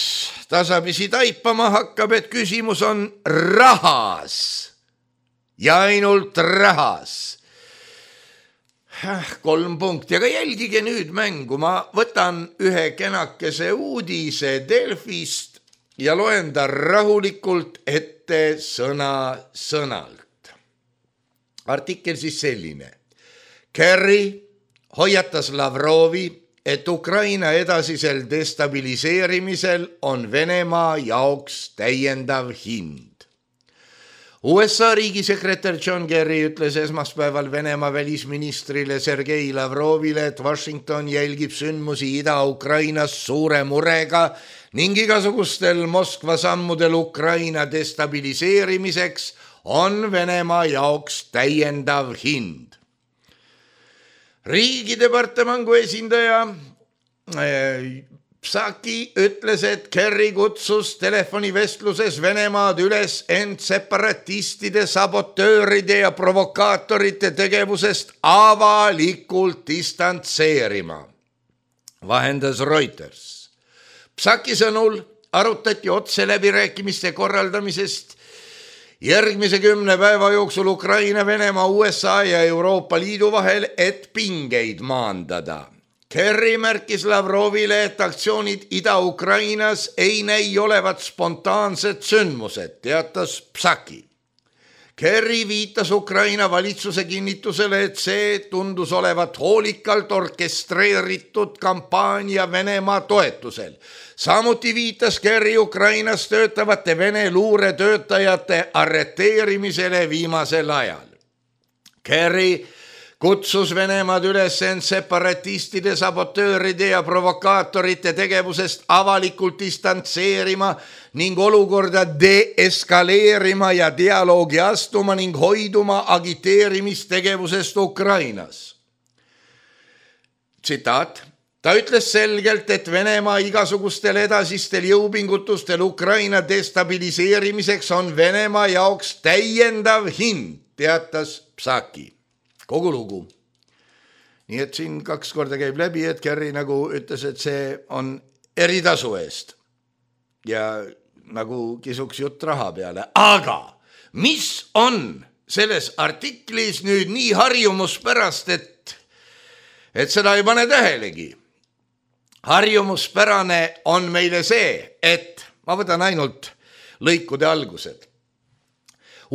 tasapisi taipama hakkab, et küsimus on rahas ja ainult rahas. Kolm punkti, aga jälgige nüüd mängu. Ma võtan ühe kenakese uudise Delfist ja loen ta rahulikult ette sõna sõnalt. Artikkel siis selline. Kerry hoiatas Lavrovi, et Ukraina edasisel destabiliseerimisel on Venemaa jaoks täiendav hind. U S A riigisekretär John Kerry ütles esmaspäeval Venemaa välisministrile Sergei Lavrovile, et Washington jälgib sündmusi Ida-Ukrainas suure murega ning igasugustel Moskva sammudel Ukraina destabiliseerimiseks on Venemaa jaoks täiendav hind. Riigidepartemangu esindaja Psaki ütles, et Kerry kutsus telefonivestluses Venemaad üles end separatistide, sabotööride ja provokaatorite tegevusest avalikult distantseerima, vahendas Reuters. Psaki sõnul arutati otse läbirääkimiste korraldamisest järgmise kümne päeva jooksul Ukraina, Venemaa, U S A ja Euroopa Liidu vahel, et pingeid maandada. Kerry märkis Lavrovile, et aktsioonid Ida-Ukrainas ei näi olevat spontaansed sündmused, teatas Psaki. Kerry viitas Ukraina valitsuse kinnitusele, et see tundus olevat hoolikalt orkestreeritud kampaania Venemaa toetusel. Samuti viitas Kerry Ukrainas töötavate Vene luuretöötajate arreteerimisele viimasel ajal. Kerry kutsus Venemaad üles end separatistide, sabotööride ja provokaatorite tegevusest avalikult distantseerima ning olukorda deeskaleerima ja dialoogi astuma ning hoiduma agiteerimistegevusest Ukrainas. Tsitaat. Ta ütles selgelt, et Venemaa igasugustel edasistel jõupingutustel Ukraina destabiliseerimiseks on Venemaa jaoks täiendav hind, teatas Psaki. Kogu lugu. Nii et siin kaks korda käib läbi, et Kerry nagu ütles, et see on eritasu eest ja nagu kisuks jutt raha peale. Aga mis on selles artiklis nüüd nii harjumuspärast, et, et seda ei pane tähelegi? Harjumuspärane on meile see, et ma võtan ainult lõikude algused.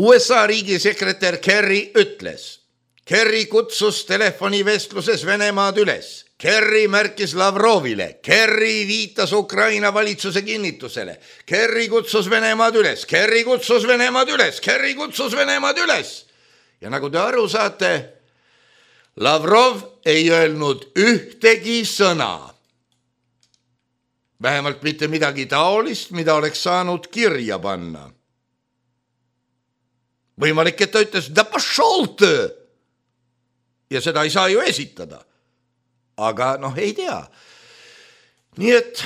U S A riigisekretär Kerry ütles, Kerry kutsus telefonivestluses Venemaad üles. Kerry märkis Lavrovile. Kerry viitas Ukraina valitsuse kinnitusele. Kerry kutsus Venemaad üles. Kerry kutsus Venemaad üles. Kerry kutsus Venemaad üles. Ja nagu te aru saate, Lavrov ei öelnud ühtegi sõna. Vähemalt mitte midagi taolist, mida oleks saanud kirja panna. Võimalik, et ta ütles, da pошел ты! Ja seda ei saa ju esitada. Aga noh, ei tea. Nii et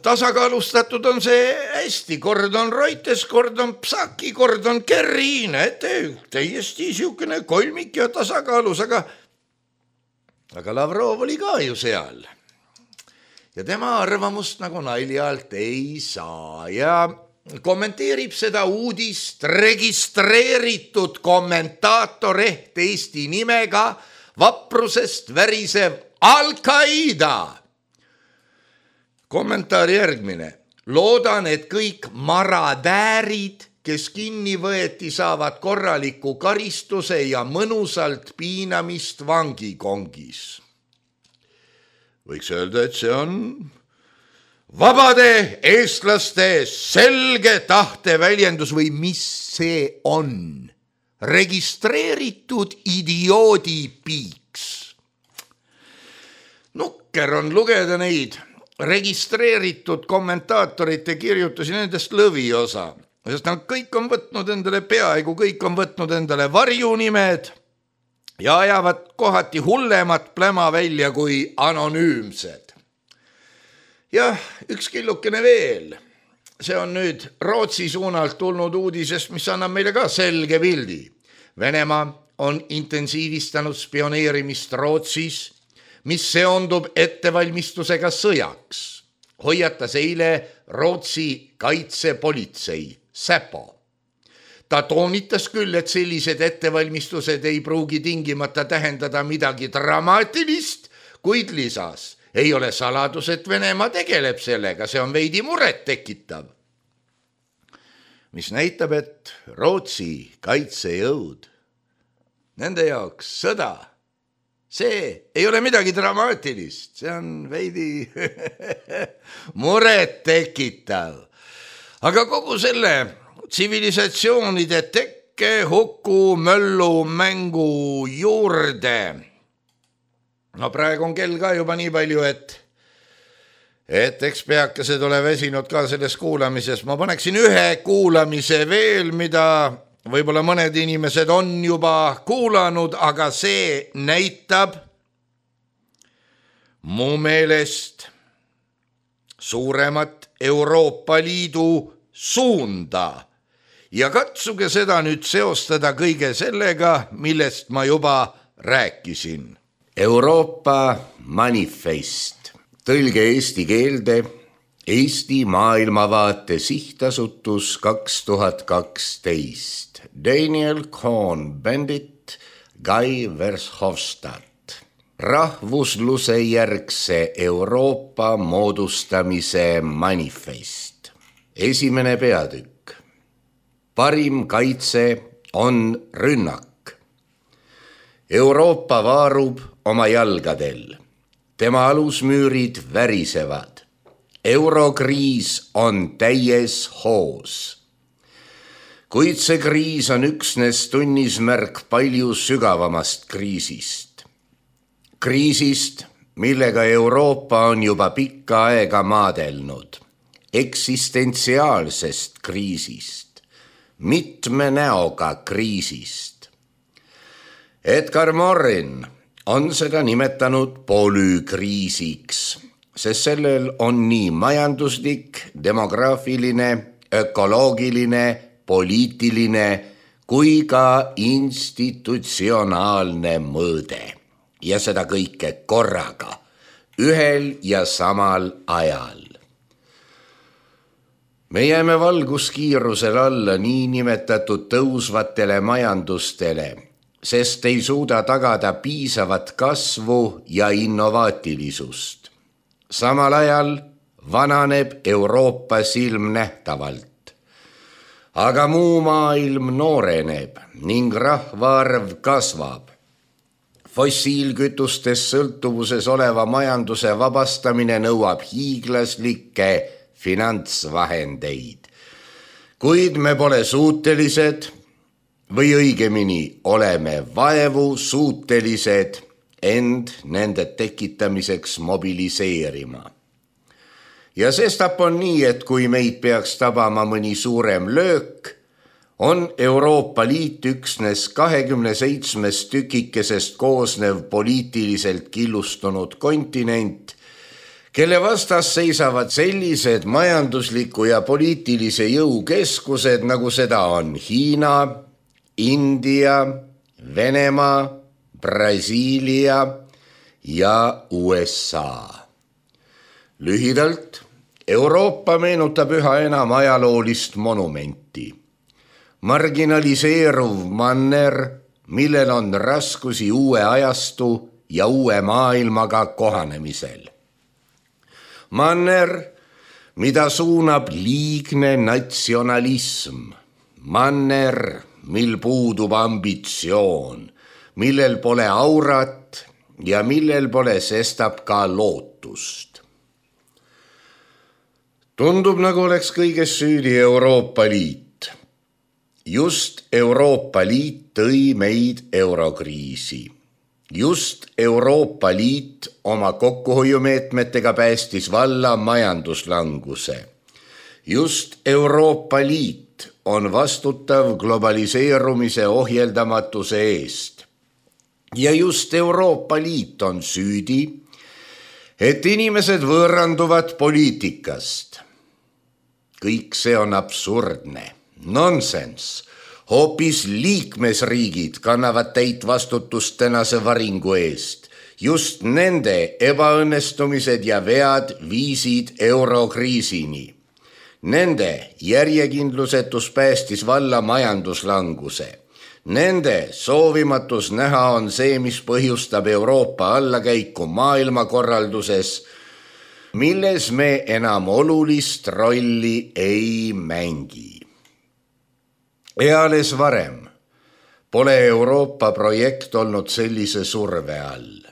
tasakaalustatud on see hästi. Kord on Reuters, kord on Psaki, kord on Kerry. Näete, täiesti siukene kolmik ja tasakaalus, aga, aga Lavrov oli ka ju seal. Ja tema arvamust nagu naljalt ei saa. Ja kommenteerib seda uudist registreeritud kommentaator ehk Eesti nimega vaprusest värisev Al-Qaida. Kommentaar järgmine. Loodan, et kõik maradäärid, kes kinni võeti, saavad korraliku karistuse ja mõnusalt piinamist vangikongis. Võiks öelda, et see on vabade eestlaste selge tahte väljendus või mis see on? Registreeritud idioodi piiks. Nukker on lugeda neid registreeritud kommentaatorite kirjutusi nendest lõviosa, sest nad kõik on võtnud endale, peaaegu kõik on võtnud endale varjunimed ja ajavad kohati hullemat pläma välja kui anonüümsed. Jah, üks killukene veel. See on nüüd Rootsi suunalt tulnud uudisest, mis annab meile ka selge pildi. Venemaa on intensiivistanud spioneerimist Rootsis, mis seondub ettevalmistusega sõjaks. Hoiatas eile Rootsi kaitsepolitsei, Säpo. Ta toonitas küll, et sellised ettevalmistused ei pruugi tingimata tähendada midagi dramaatilist, kuid lisas, ei ole saladus, et Venemaa tegeleb sellega, see on veidi muret tekitav. Mis näitab, et Rootsi kaitsejõud, nende jaoks sõda, see ei ole midagi dramaatilist, see on veidi muret tekitav. Aga kogu selle tsivilisatsioonide tekke, huku, möllu, mängu juurde. No praegu on kell ka juba nii palju, et, et eks peakesed ole väsinud ka selles kuulamises. Ma paneksin ühe kuulamise veel, mida võib-olla mõned inimesed on juba kuulanud, aga see näitab mu meelest suuremat Euroopa Liidu suunda ja katsuge seda nüüd seostada kõige sellega, millest ma juba rääkisin. Euroopa manifest, tõlge eesti keelde, Eesti maailmavaate sihtasutus kaks tuhat kaksteist, Daniel Cohn-Bendit, Guy Verhofstadt. Rahvusluse järgse Euroopa moodustamise manifest. Esimene peatükk. Parim kaitse on rünnak. Euroopa vaarub oma jalgadel. Tema alusmüürid värisevad. Eurokriis on täies hoos. Kuid see kriis on üksnes tunnismärk palju sügavamast kriisist. Kriisist, millega Euroopa on juba pikka aega maadelnud. Eksistentsiaalsest kriisist. Mitme näoga kriisist. Edgar Morin on seda nimetanud polükriisiks, sest sellel on nii majanduslik, demograafiline, ökoloogiline, poliitiline kui ka institutsionaalne mõõde. Ja seda kõike korraga, ühel ja samal ajal. Me jääme valguskiirusel alla niinimetatud tõusvatele majandustele, sest ei suuda tagada piisavat kasvu ja innovaatilisust. Samal ajal vananeb Euroopa silmnähtavalt. Aga muu maailm nooreneb ning rahvaarv kasvab. Fossiilkütustest sõltuvuses oleva majanduse vabastamine nõuab hiiglaslikke finantsvahendeid. Kuid me pole suutelised, või õigemini oleme vaevu suutelised end nende tekitamiseks mobiliseerima. Ja sestap on nii, et kui meid peaks tabama mõni suurem löök, on Euroopa Liit üksnes kahekümne seitsmest tükikesest koosnev poliitiliselt killustunud kontinent, kelle vastas seisavad sellised majandusliku ja poliitilise jõukeskused, nagu seda on Hiina, India, Venemaa, Brasiilia ja U S A. Lühidalt, Euroopa meenutab üha enam ajaloolist monumenti. Marginaliseeruv manner, millel on raskusi uue ajastu ja uue maailmaga kohanemisel. Manner, mida suunab liigne natsionalism. Manner, mil puudub ambitsioon, millel pole aurat ja millel pole sestap ka lootust. Tundub, nagu oleks kõiges süüdi Euroopa Liit. Just Euroopa Liit tõi meid eurokriisi. Just Euroopa Liit oma kokkuhoiumeetmetega päästis valla majanduslanguse. Just Euroopa Liit on vastutav globaliseerumise ohjeldamatuse eest. Ja just Euroopa Liit on süüdi, et inimesed võõranduvad poliitikast. Kõik see on absurdne, nonsense. Hoopis liikmesriigid kannavad täit vastutust tänase varingu eest. Just nende ebaõnnestumised ja vead viisid eurokriisini. Nende järjekindlusetus päästis valla majanduslanguse. Nende soovimatus näha on see, mis põhjustab Euroopa allakäiku maailmakorralduses, milles me enam olulist rolli ei mängi. Eales varem pole Euroopa projekt olnud sellise surve all.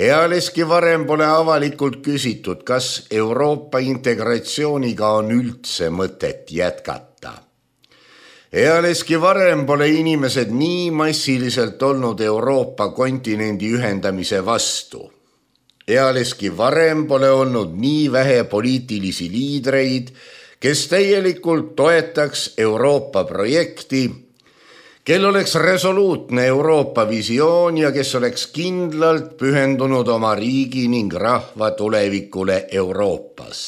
Ealeski varem pole avalikult küsitud, kas Euroopa integratsiooniga on üldse mõtet jätkata. Ealeski varem pole inimesed nii massiliselt olnud Euroopa kontinendi ühendamise vastu. Ealeski varem pole olnud nii vähe poliitilisi liidreid, kes täielikult toetaks Euroopa projekti, kel oleks resoluutne Euroopa visioon ja kes oleks kindlalt pühendunud oma riigi ning rahva tulevikule Euroopas.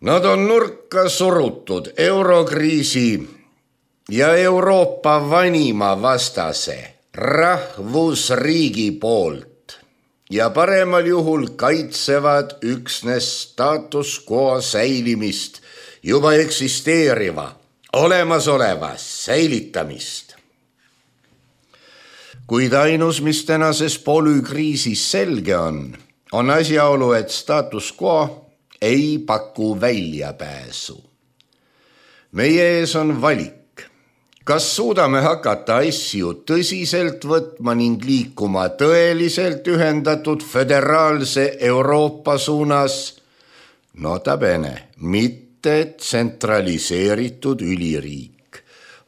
Nad on nurka surutud eurokriisi ja Euroopa vanima vastase rahvusriigi poolt ja paremal juhul kaitsevad üksnes status quo säilimist, juba eksisteeriva, olemasoleva säilitamist. Kuid ainus, mis tänases polükriisis selge on, on asjaolu, et status quo ei paku väljapääsu. Meie ees on valik, kas suudame hakata asju tõsiselt võtma ning liikuma tõeliselt ühendatud föderaalse Euroopa suunas, nota bene, mitte tsentraliseeritud üliriik,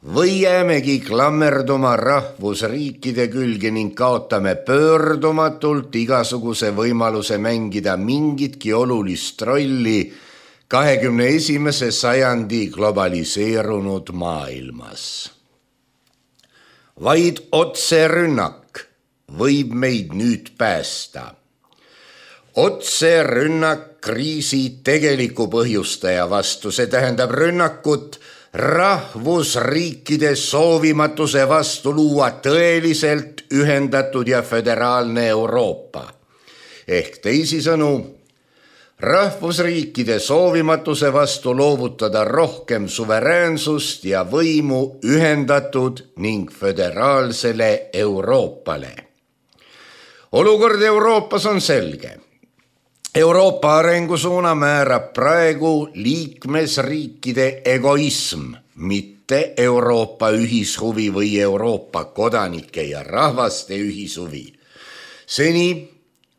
või jäämegi klammerduma rahvusriikide külge ning kaotame pöördumatult igasuguse võimaluse mängida mingitki olulist rolli kahekümne esimese sajandi globaliseerunud maailmas. Vaid otserünnak võib meid nüüd päästa. Otserünnak kriisi tegeliku põhjustaja vastu, see tähendab rünnakut rahvusriikide soovimatuse vastu luua tõeliselt ühendatud ja föderaalne Euroopa. Ehk teisisõnu, rahvusriikide soovimatuse vastu loovutada rohkem suveräänsust ja võimu ühendatud ning föderaalsele Euroopale. Olukord Euroopas on selge. Euroopa arengusuuna määrab praegu liikmesriikide egoism, mitte Euroopa ühishuvi või Euroopa kodanike ja rahvaste ühishuvi. Seni,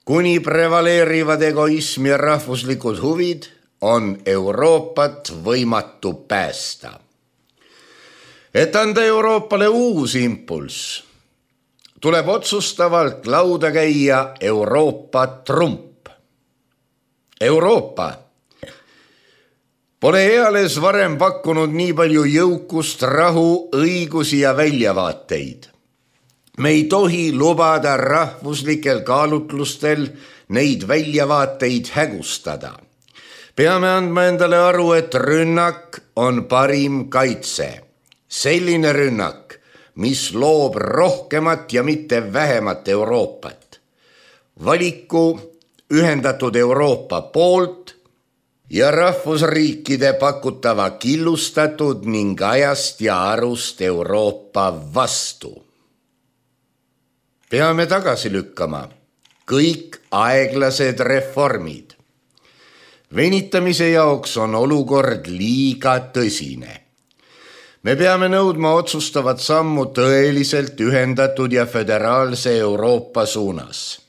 kuni prevaleerivad egoism ja rahvuslikud huvid, on Euroopat võimatu päästa. Et anda Euroopale uus impulss, tuleb otsustavalt lauda käia Euroopa trump. Euroopa pole eales varem pakkunud nii palju jõukust, rahu, õigusi ja väljavaateid. Me ei tohi lubada rahvuslikel kaalutlustel neid väljavaateid hägustada. Peame andma endale aru, et rünnak on parim kaitse. Selline rünnak, mis loob rohkemat ja mitte vähemat Euroopat. Valiku ühendatud Euroopa poolt ja rahvusriikide pakutava killustatud ning ajast ja arust Euroopa vastu. Peame tagasi lükkama kõik aeglased reformid. Venitamise jaoks on olukord liiga tõsine. Me peame nõudma otsustavat sammu tõeliselt ühendatud ja föderaalse Euroopa suunas.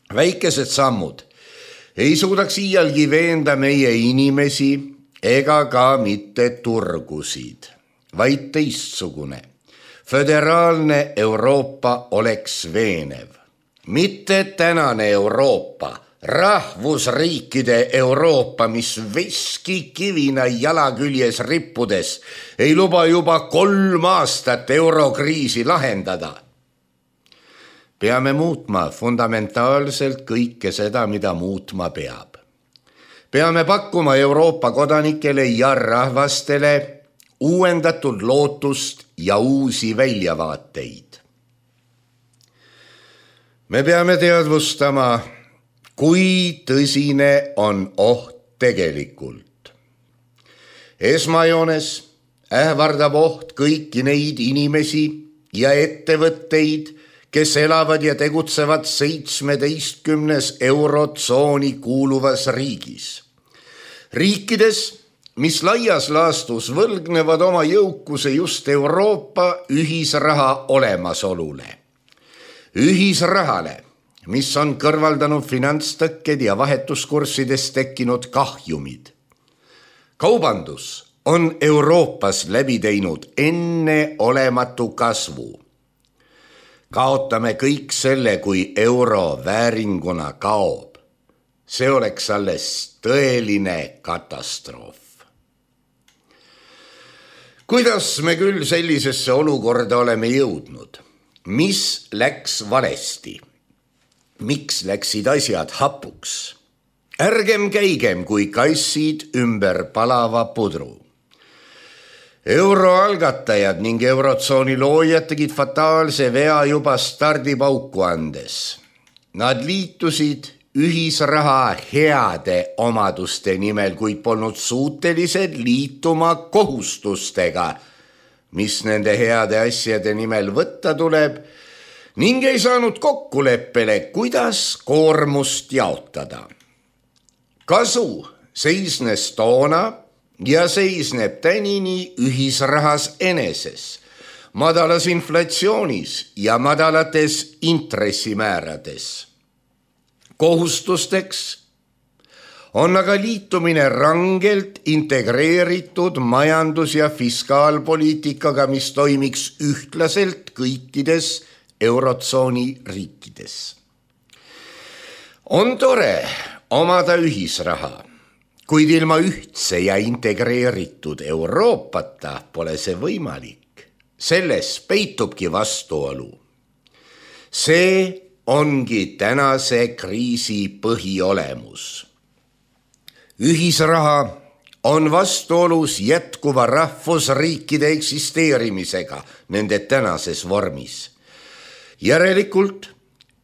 Väikesed sammud ei suudaks iialgi veenda meie inimesi ega ka mitte turgusid, vaid teistsugune. Föderaalne Euroopa oleks veenev. Mitte tänane Euroopa, rahvusriikide Euroopa, mis veskikivina jalaküljes rippudes ei luba juba kolm aastat eurokriisi lahendada. Peame muutma fundamentaalselt kõike seda, mida muutma peab. Peame pakkuma Euroopa kodanikele ja rahvastele uuendatud lootust ja uusi väljavaateid. Me peame teadvustama, kui tõsine on oht tegelikult. Esmajoones ähvardab oht kõiki neid inimesi ja ettevõtteid, kes elavad ja tegutsevad seitsmeteistkümnes eurotsooni kuuluvas riigis. Riikides, mis laias laastus võlgnevad oma jõukuse just Euroopa ühisraha olemasolule. Ühisrahale, mis on kõrvaldanud finantstõkked ja vahetuskurssides tekkinud kahjumid. Kaubandus on Euroopas läbi teinud enneolematu kasvu. Kaotame kõik selle, kui euro vääringuna kaob. See oleks alles tõeline katastroof. kuidas me küll sellisesse olukorda oleme jõudnud? Mis läks valesti? Miks läksid asjad hapuks? Ärgem käigem kui kassid ümber palava pudru. Euroalgatajad ning eurotsooni loojad tegid fataalse vea juba stardipauku andes. Nad liitusid ühisraha heade omaduste nimel, kuid polnud suutelised liituma kohustustega, mis nende heade asjade nimel võtta tuleb, ning ei saanud kokkuleppele, kuidas koormust jaotada. Kasu seisnes toona ja seisneb tänini ühisrahas eneses, madalas inflatsioonis ja madalates intressimäärades. Kohustusteks on aga liitumine rangelt integreeritud majandus- ja fiskaalpoliitikaga, mis toimiks ühtlaselt kõikides eurotsooni riikides. On tore omada ühisraha, kuid ilma ühtse ja integreeritud Euroopata pole see võimalik. Selles peitubki vastuolu. See ongi tänase kriisi põhiolemus. Ühisraha on vastuolus jätkuva rahvusriikide eksisteerimisega nende tänases vormis. Järelikult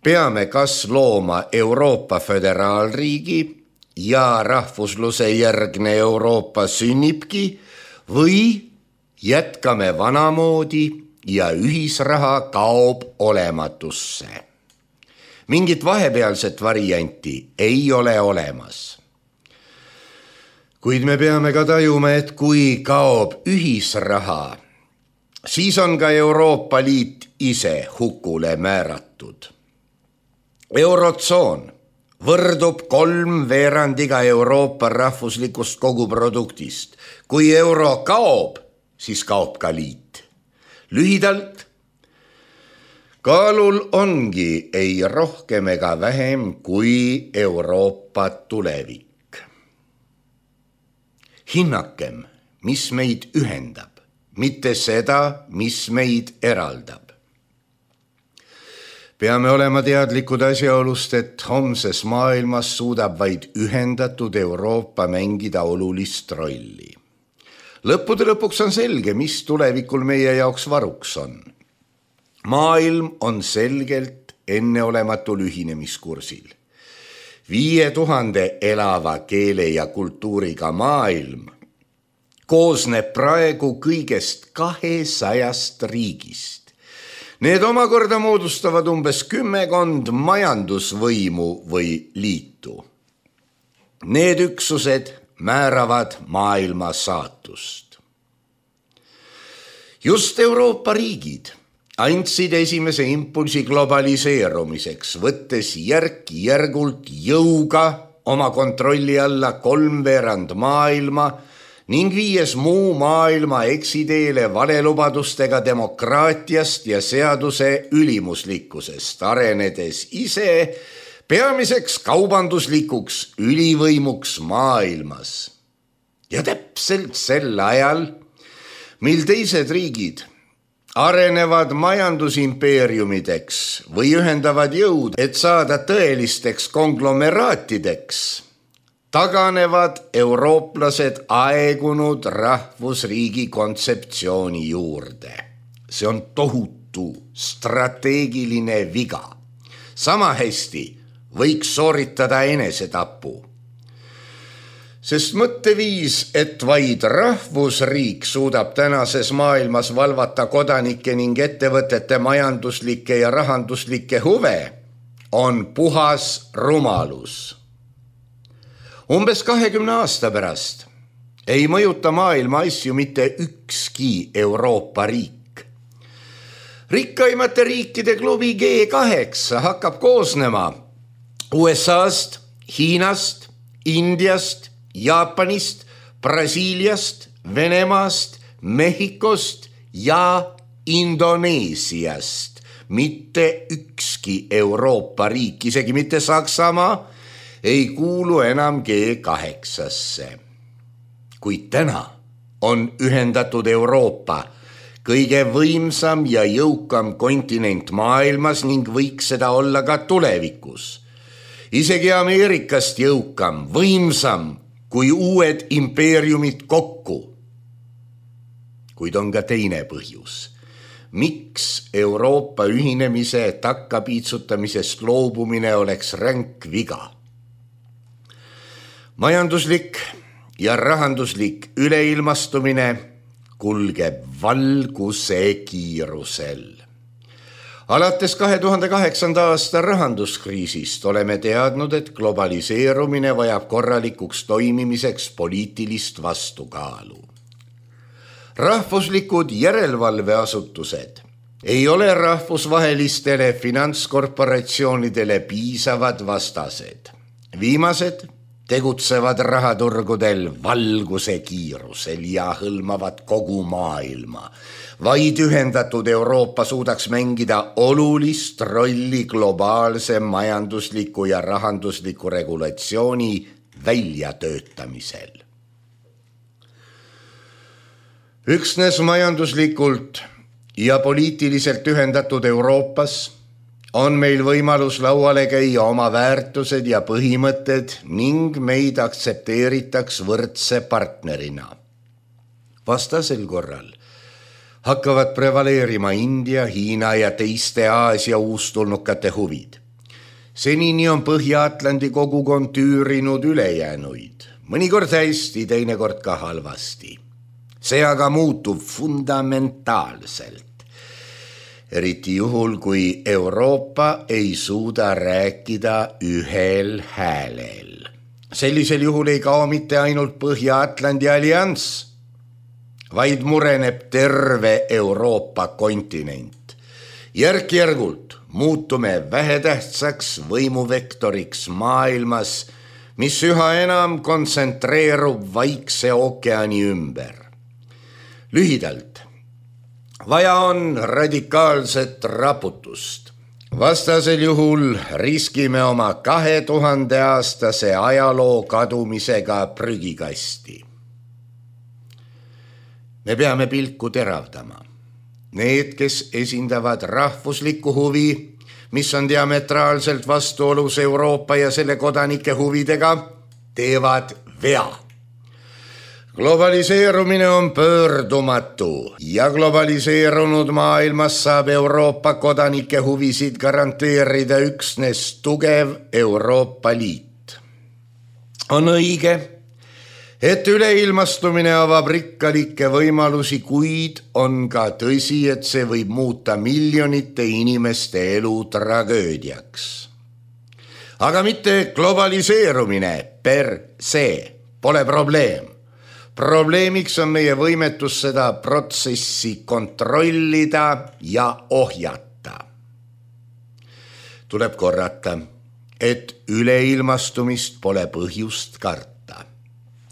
peame kas looma Euroopa föderaalriigi ja rahvusluse järgne Euroopa sünnibki või jätkame vanamoodi ja ühisraha kaob olematusse. Mingit vahepealset varianti ei ole olemas. Kuid me peame ka tajuma, et kui kaob ühisraha, siis on ka Euroopa Liit ise hukule määratud. Eurotsoon võrdub kolm veerandiga Euroopa rahvuslikust koguproduktist. Kui euro kaob, siis kaob ka liit. Lühidalt, kaalul ongi ei rohkem ega vähem kui Euroopa tulevik. Hinnakem, mis meid ühendab, mitte seda, mis meid eraldab. Peame olema teadlikud asjaolust, et homses maailmas suudab vaid ühendatud Euroopa mängida olulist rolli. Lõppude lõpuks on selge, mis tulevikul meie jaoks varuks on. Maailm on selgelt enneolematul ühinemiskursil. Viie tuhande elava keele ja kultuuriga maailm koosneb praegu kõigest kahesajast riigist. Need omakorda moodustavad umbes kümmekond majandusvõimu või liitu. Need üksused määravad maailma saatust. Just Euroopa riigid andsid esimese impulsi globaliseerumiseks, võttes järk-järgult jõuga oma kontrolli alla kolmveerand maailma ning viies muu maailma eksiteele valelubadustega demokraatiast ja seaduse ülimuslikkusest, arenedes ise peamiseks kaubanduslikuks ülivõimuks maailmas. Ja täpselt sel ajal, mil teised riigid arenevad majandusimpeeriumideks või ühendavad jõud, et saada tõelisteks konglomeraatideks, taganevad eurooplased aegunud rahvusriigi kontseptsiooni juurde. See on tohutu strateegiline viga. Sama hästi võiks sooritada enesetapu. Sest mõtteviis, et vaid rahvusriik suudab tänases maailmas valvata kodanike ning ettevõtete majanduslikke ja rahanduslikke huve, on puhas rumalus. Umbes kahekümne aasta pärast ei mõjuta maailma asju mitte ükski Euroopa riik. Rikkaimate riikide klubi G kaheksa hakkab koosnema U S A-st, Hiinast, Indiast, Jaapanist, Brasiiliast, Venemaast, Mehhikost ja Indoneesiast. Mitte ükski Euroopa riik, isegi mitte Saksamaa, ei kuulu enam G kaheksasse. Kuid täna on ühendatud Euroopa, kõige võimsam ja jõukam kontinent maailmas ning võiks seda olla ka tulevikus. Isegi Ameerikast jõukam, võimsam kui uued impeeriumid kokku. Kuid on ka teine põhjus. Miks Euroopa ühinemise takkapiitsutamisest loobumine oleks ränk viga? Majanduslik ja rahanduslik üleilmastumine kulgeb valguse kiirusel. Alates kahe tuhande kaheksanda aasta rahanduskriisist oleme teadnud, et globaliseerumine vajab korralikuks toimimiseks poliitilist vastukaalu. Rahvuslikud järelevalveasutused ei ole rahvusvahelistele finantskorporatsioonidele piisavad vastased. Viimased tegutsevad rahaturgudel valguse kiirusel ja hõlmavad kogu maailma. Vaid ühendatud Euroopa suudaks mängida olulist rolli globaalse majandusliku ja rahandusliku regulatsiooni väljatöötamisel. Üksnes majanduslikult ja poliitiliselt ühendatud Euroopas on meil võimalus lauale käia oma väärtused ja põhimõtted ning meid aktsepteeritaks võrdse partnerina. Vastasel korral hakkavad prevaleerima India, Hiina ja teiste Aasia uustulnukate huvid. Senini on Põhja-Atlandi kogukond tüürinud ülejäänuid, mõnikord hästi, teinekord ka halvasti. See aga muutub fundamentaalselt. Eriti juhul, kui Euroopa ei suuda rääkida ühel häälel. Sellisel juhul ei kao mitte ainult Põhja-Atlandi allianss, vaid mureneb terve Euroopa kontinent. Järk-järgult muutume vähetähtsaks võimuvektoriks maailmas, mis üha enam kontsentreerub Vaikse ookeani ümber. Lühidalt, vaja on radikaalset raputust. Vastasel juhul riskime oma kahe tuhande aastase ajaloo kadumisega prügikasti. Me peame pilku teravdama. Need, kes esindavad rahvuslikku huvi, mis on diametraalselt vastuolus Euroopa ja selle kodanike huvidega, teevad vea. Globaliseerumine on pöördumatu ja globaliseerunud maailmas saab Euroopa kodanike huvisid garanteerida üksnes tugev Euroopa Liit. On õige, et üleilmastumine avab rikkalikke võimalusi, kuid on ka tõsi, et see võib muuta miljonite inimeste elu tragöödiaks. Aga mitte globaliseerumine per se pole probleem. Probleemiks on meie võimetus seda protsessi kontrollida ja ohjata. Tuleb korrata, et üleilmastumist pole põhjust karta.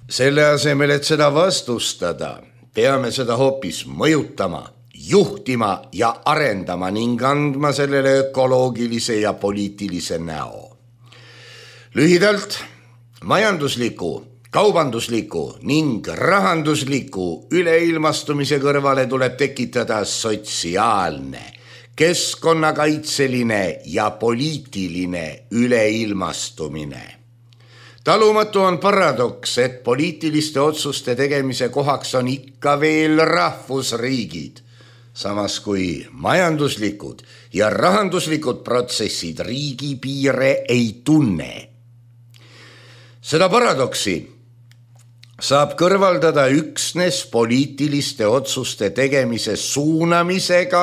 Selle asemel, et seda vastustada, peame seda hoopis mõjutama, juhtima ja arendama ning andma sellele ökoloogilise ja poliitilise näo. Lühidalt, majandusliku, kaubandusliku ning rahandusliku üleilmastumise kõrvale tuleb tekitada sotsiaalne, keskkonnakaitseline ja poliitiline üleilmastumine. Talumatu on paradoks, et poliitiliste otsuste tegemise kohaks on ikka veel rahvusriigid, samas kui majanduslikud ja rahanduslikud protsessid riigipiire ei tunne. Seda paradoksi saab kõrvaldada üksnes poliitiliste otsuste tegemise suunamisega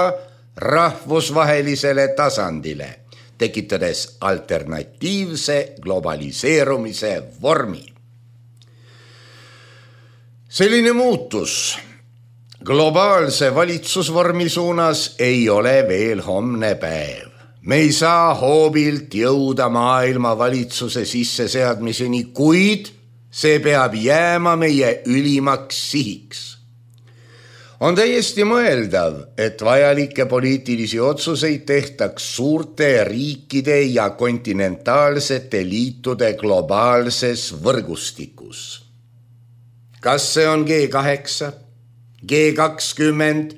rahvusvahelisele tasandile, tekitades alternatiivse globaliseerumise vormi. Selline muutus globaalse valitsusvormi suunas ei ole veel homne päev. Me ei saa hoobilt jõuda maailma valitsuse sisseseadmiseni, kuid see peab jääma meie ülimaks sihiks. On täiesti mõeldav, et vajalikke poliitilisi otsuseid tehtaks suurte riikide ja kontinentaalsete liitude globaalses võrgustikus. kas see on G kaheksa, G kakskümmend,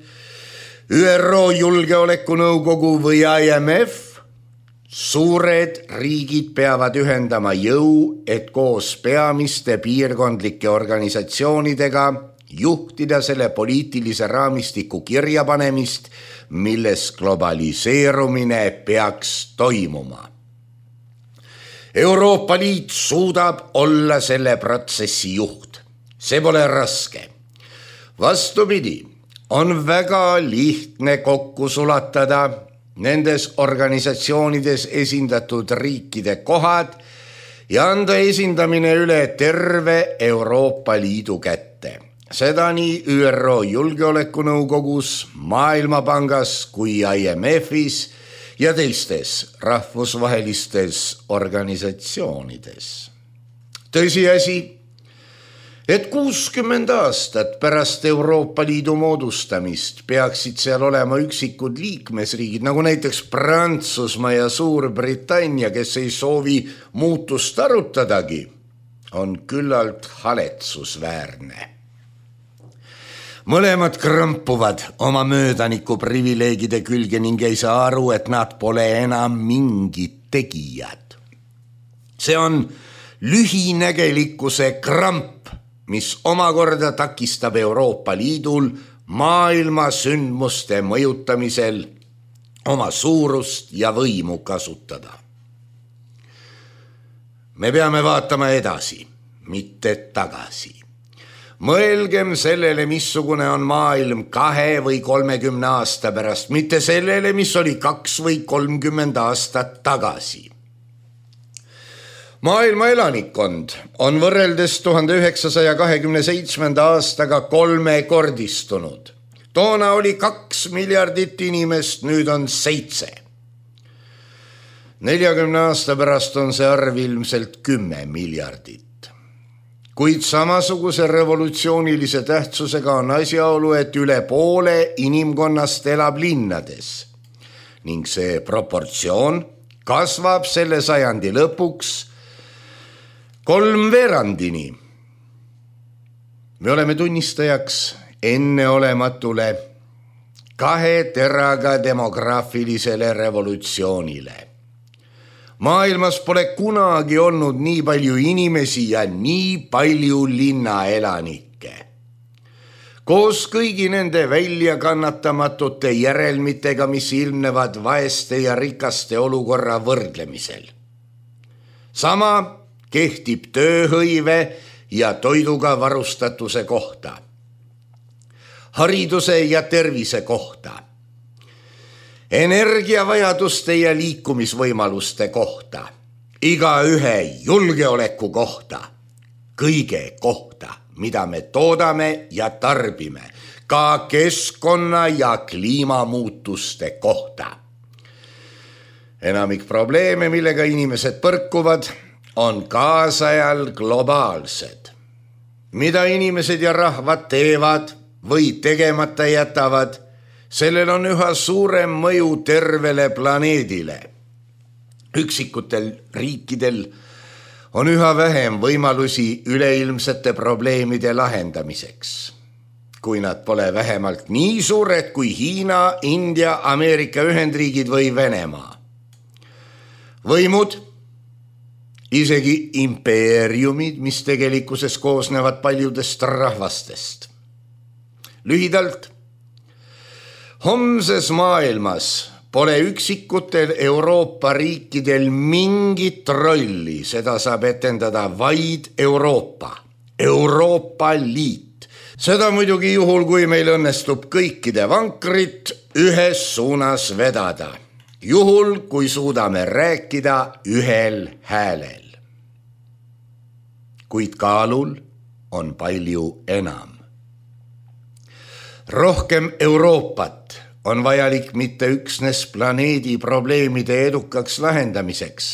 ÜRO Julgeolekunõukogu või I M F, suured riigid peavad ühendama jõu, et koos peamiste piirkondlike organisatsioonidega juhtida selle poliitilise raamistiku kirjapanemist, milles globaliseerumine peaks toimuma. Euroopa Liit suudab olla selle protsessi juht. See pole raske. Vastupidi, on väga lihtne kokku sulatada nendes organisatsioonides esindatud riikide kohad ja anda esindamine üle terve Euroopa Liidu kätte. Seda nii ÜRO Julgeolekunõukogus, Maailmapangas kui I M F-is ja teistes rahvusvahelistes organisatsioonides. Tõsiasi, et kuuskümmend aastat pärast Euroopa Liidu moodustamist peaksid seal olema üksikud liikmesriigid, nagu näiteks Prantsusmaa ja Suurbritannia, kes ei soovi muutust arutadagi, on küllalt haletsusväärne. Mõlemad krampuvad oma möödaniku privileegide külge ning ei saa aru, et nad pole enam mingid tegijad. See on lühinägelikkuse kramp, mis omakorda takistab Euroopa Liidul maailma sündmuste mõjutamisel oma suurust ja võimu kasutada. Me peame vaatama edasi, mitte tagasi. Mõelgem sellele, missugune on maailm kahe või kolmekümne aasta pärast, mitte sellele, mis oli kaks või kolmkümmend aastat tagasi. Maailma elanikkond on võrreldes tuhande üheksasaja kahekümne seitsmenda aastaga kolmekordistunud. Toona oli kaks miljardit inimest, nüüd on seitse. neljakümne aasta pärast on see arv ilmselt kümme miljardit. Kuid samasuguse revolutsioonilise tähtsusega on asjaolu, et üle poole inimkonnast elab linnades ning see proportsioon kasvab selle sajandi lõpuks kolmveerandini. Me oleme tunnistajaks enneolematule kahe teraga demograafilisele revolutsioonile. Maailmas pole kunagi olnud nii palju inimesi ja nii palju linnaelanikke. Koos kõigi nende väljakannatamatute järelmitega, mis ilmnevad vaeste ja rikaste olukorra võrdlemisel. Sama kehtib tööhõive ja toiduga varustatuse kohta, hariduse ja tervise kohta, energiavajaduste ja liikumisvõimaluste kohta, igaühe julgeoleku kohta, kõige kohta, mida me toodame ja tarbime, ka keskkonna ja kliimamuutuste kohta. Enamik probleeme, millega inimesed põrkuvad, on kaasajal globaalsed. Mida inimesed ja rahvad teevad või tegemata jätavad, sellel on üha suurem mõju tervele planeedile. Üksikutel riikidel on üha vähem võimalusi üleilmsete probleemide lahendamiseks, kui nad pole vähemalt nii suured kui Hiina, India, Ameerika Ühendriigid või Venemaa. Võimud, isegi impeeriumid, mis tegelikkuses koosnevad paljudest rahvastest. Lühidalt, homses maailmas pole üksikutel Euroopa riikidel mingit rolli, seda saab etendada vaid Euroopa, Euroopa Liit. Seda muidugi juhul, kui meil õnnestub kõikide vankrit ühes suunas vedada, juhul kui suudame rääkida ühel häälel. Kuid kaalul on palju enam. Rohkem Euroopat on vajalik mitte üksnes planeedi probleemide edukaks lahendamiseks,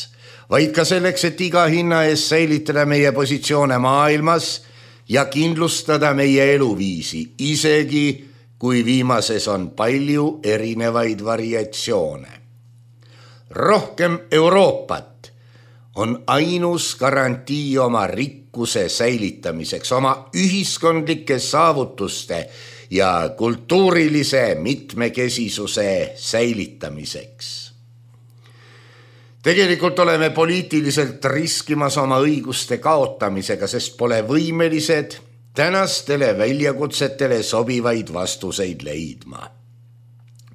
vaid ka selleks, et iga hinna ees säilitada meie positsioone maailmas ja kindlustada meie eluviisi, isegi kui viimases on palju erinevaid variatsioone. Rohkem Euroopat on ainus garantii oma rikkuse säilitamiseks, oma ühiskondlike saavutuste ja kultuurilise mitmekesisuse säilitamiseks. Tegelikult oleme poliitiliselt riskimas oma õiguste kaotamisega, sest pole võimelised tänastele väljakutsetele sobivaid vastuseid leidma.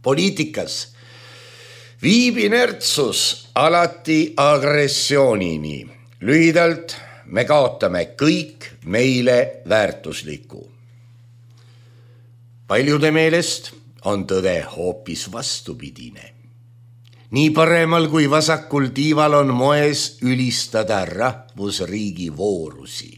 Poliitikas viib inertsus alati agressioonini. Lühidalt me kaotame kõik meile väärtuslikku. Paljude meelest on tõde hoopis vastupidine. Nii paremal kui vasakul tiival on moes ülistada rahvusriigi voorusi.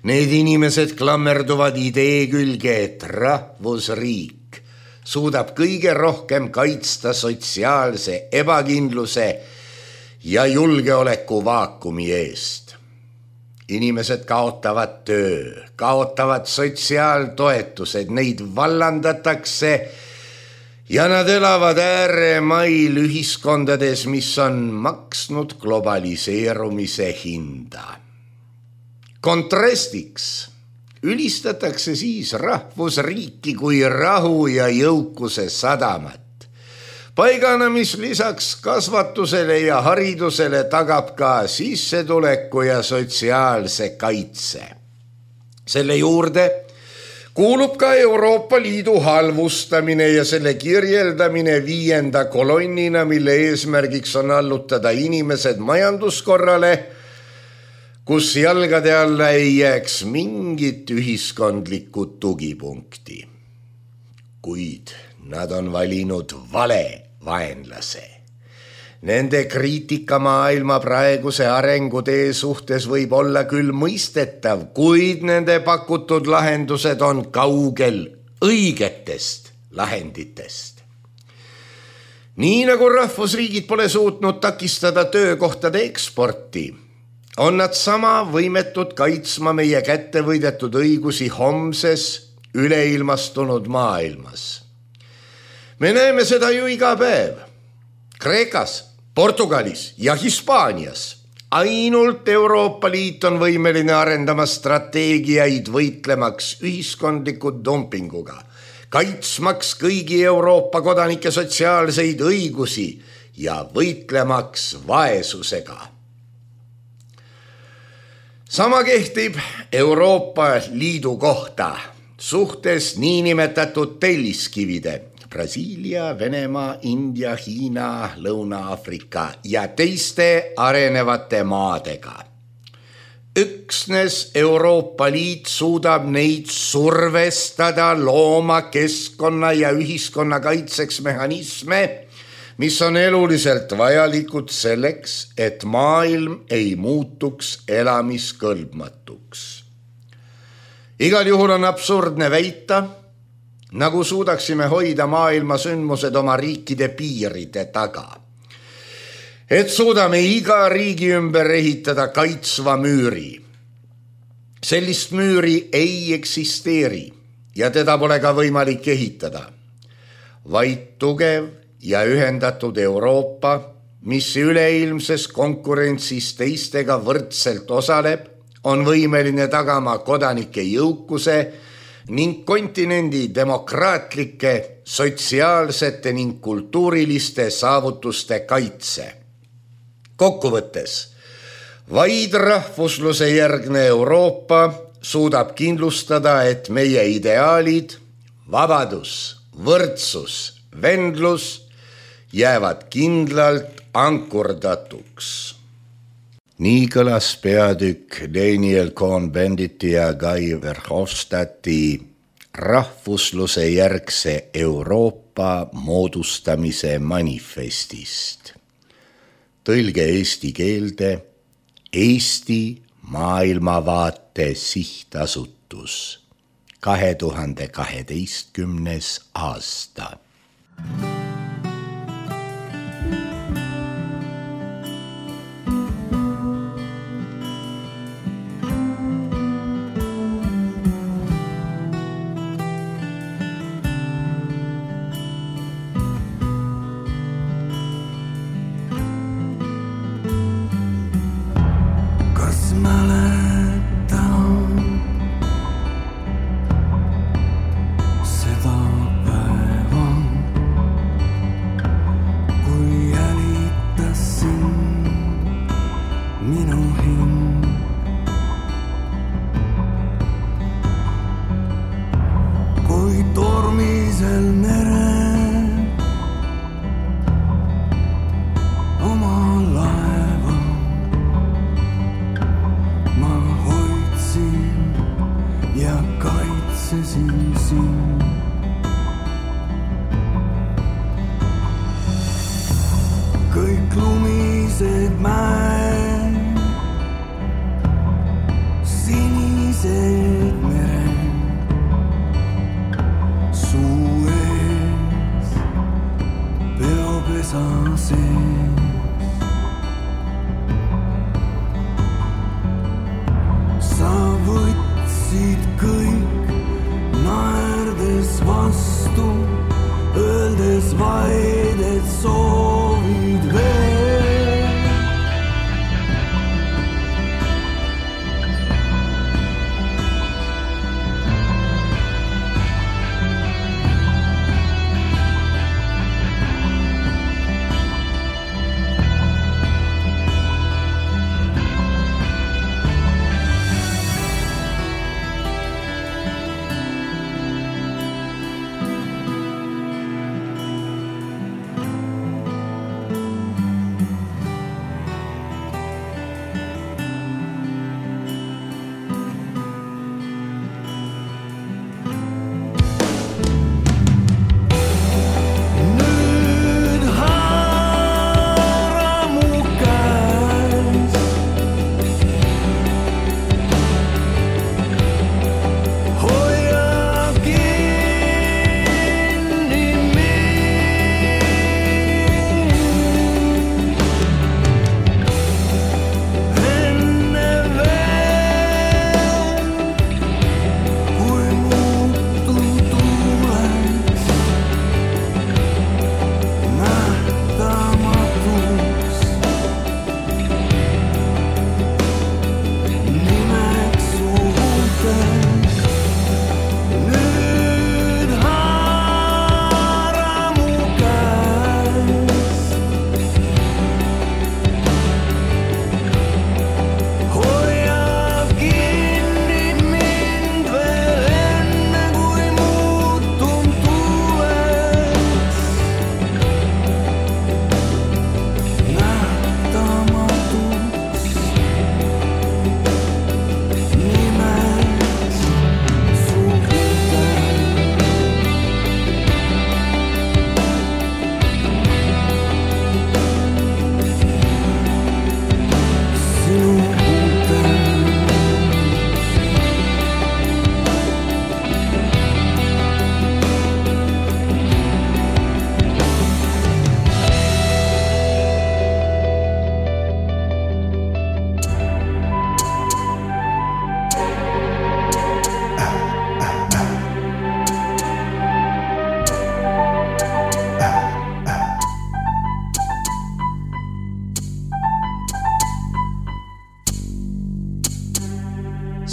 Need inimesed klammerduvad idee külge, et rahvusriik suudab kõige rohkem kaitsta sotsiaalse ebakindluse ja julgeoleku vaakumi eest. Inimesed kaotavad töö, kaotavad sotsiaaltoetused, neid vallandatakse ja nad elavad ääremail ühiskondades, mis on maksnud globaliseerumise hinda. Kontrastiks ülistatakse siis rahvusriiki kui rahu ja jõukuse sadamat. Paigana, mis lisaks kasvatusele ja haridusele tagab ka sissetuleku ja sotsiaalse kaitse. Selle juurde kuulub ka Euroopa Liidu halvustamine ja selle kirjeldamine viienda kolonnina, mille eesmärgiks on allutada inimesed majanduskorrale, kus jalgade alla ei jääks mingit ühiskondlikku tugipunkti. Kuid nad on valinud vale vaenlase. Nende kriitika maailma praeguse arengutee suhtes võib olla küll mõistetav, kuid nende pakutud lahendused on kaugel õigetest lahenditest. Nii nagu rahvusriigid pole suutnud takistada töökohtade eksporti, on nad sama võimetud kaitsma meie kätte võidetud õigusi homses üleilmastunud maailmas. Me näeme seda ju iga päev. Kreekas, Portugalis ja Hispaanias. Ainult Euroopa Liit on võimeline arendama strateegiaid võitlemaks ühiskondliku dumpinguga, kaitsmaks kõigi Euroopa kodanike sotsiaalseid õigusi ja võitlemaks vaesusega. Sama kehtib Euroopa Liidu kohta suhtes niinimetatud telliskivide Brasiilia, Venemaa, India, Hiina, Lõuna-Afrika ja teiste arenevate maadega. Üksnes Euroopa Liit suudab neid survestada looma keskkonna ja ühiskonna kaitseks mehhanisme, mis on eluliselt vajalikud selleks, et maailm ei muutuks elamiskõlbmatuks. Igal juhul on absurdne väita, nagu suudaksime hoida maailma sündmused oma riikide piiride taga. Et suudame iga riigi ümber ehitada kaitsva müüri. Sellist müüri ei eksisteeri ja teda pole ka võimalik ehitada. Vaid tugev ja ühendatud Euroopa, mis üleilmses konkurentsis teistega võrdselt osaleb, on võimeline tagama kodanike jõukuse ning kontinendi demokraatlike, sotsiaalsete ning kultuuriliste saavutuste kaitse. Kokkuvõttes, vaid rahvusluse järgne Euroopa suudab kindlustada, et meie ideaalid, vabadus, võrdsus, vendlus jäävad kindlalt ankurdatuks. Nii kõlas peatükk Daniel Cohn-Benditi ja Guy Verhofstadti rahvusluse järgse Euroopa moodustamise manifestist. Tõlge eesti keelde Eesti maailmavaate sihtasutus kahe tuhande kaheteistkümnes aasta. sees. Sa võtsid kõik naerdes vastu, öeldes vaid, et soovid veel.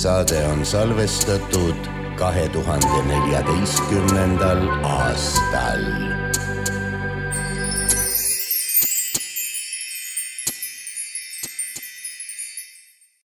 Saade on salvestatud kahe tuhande neljateistkümnendal aastal.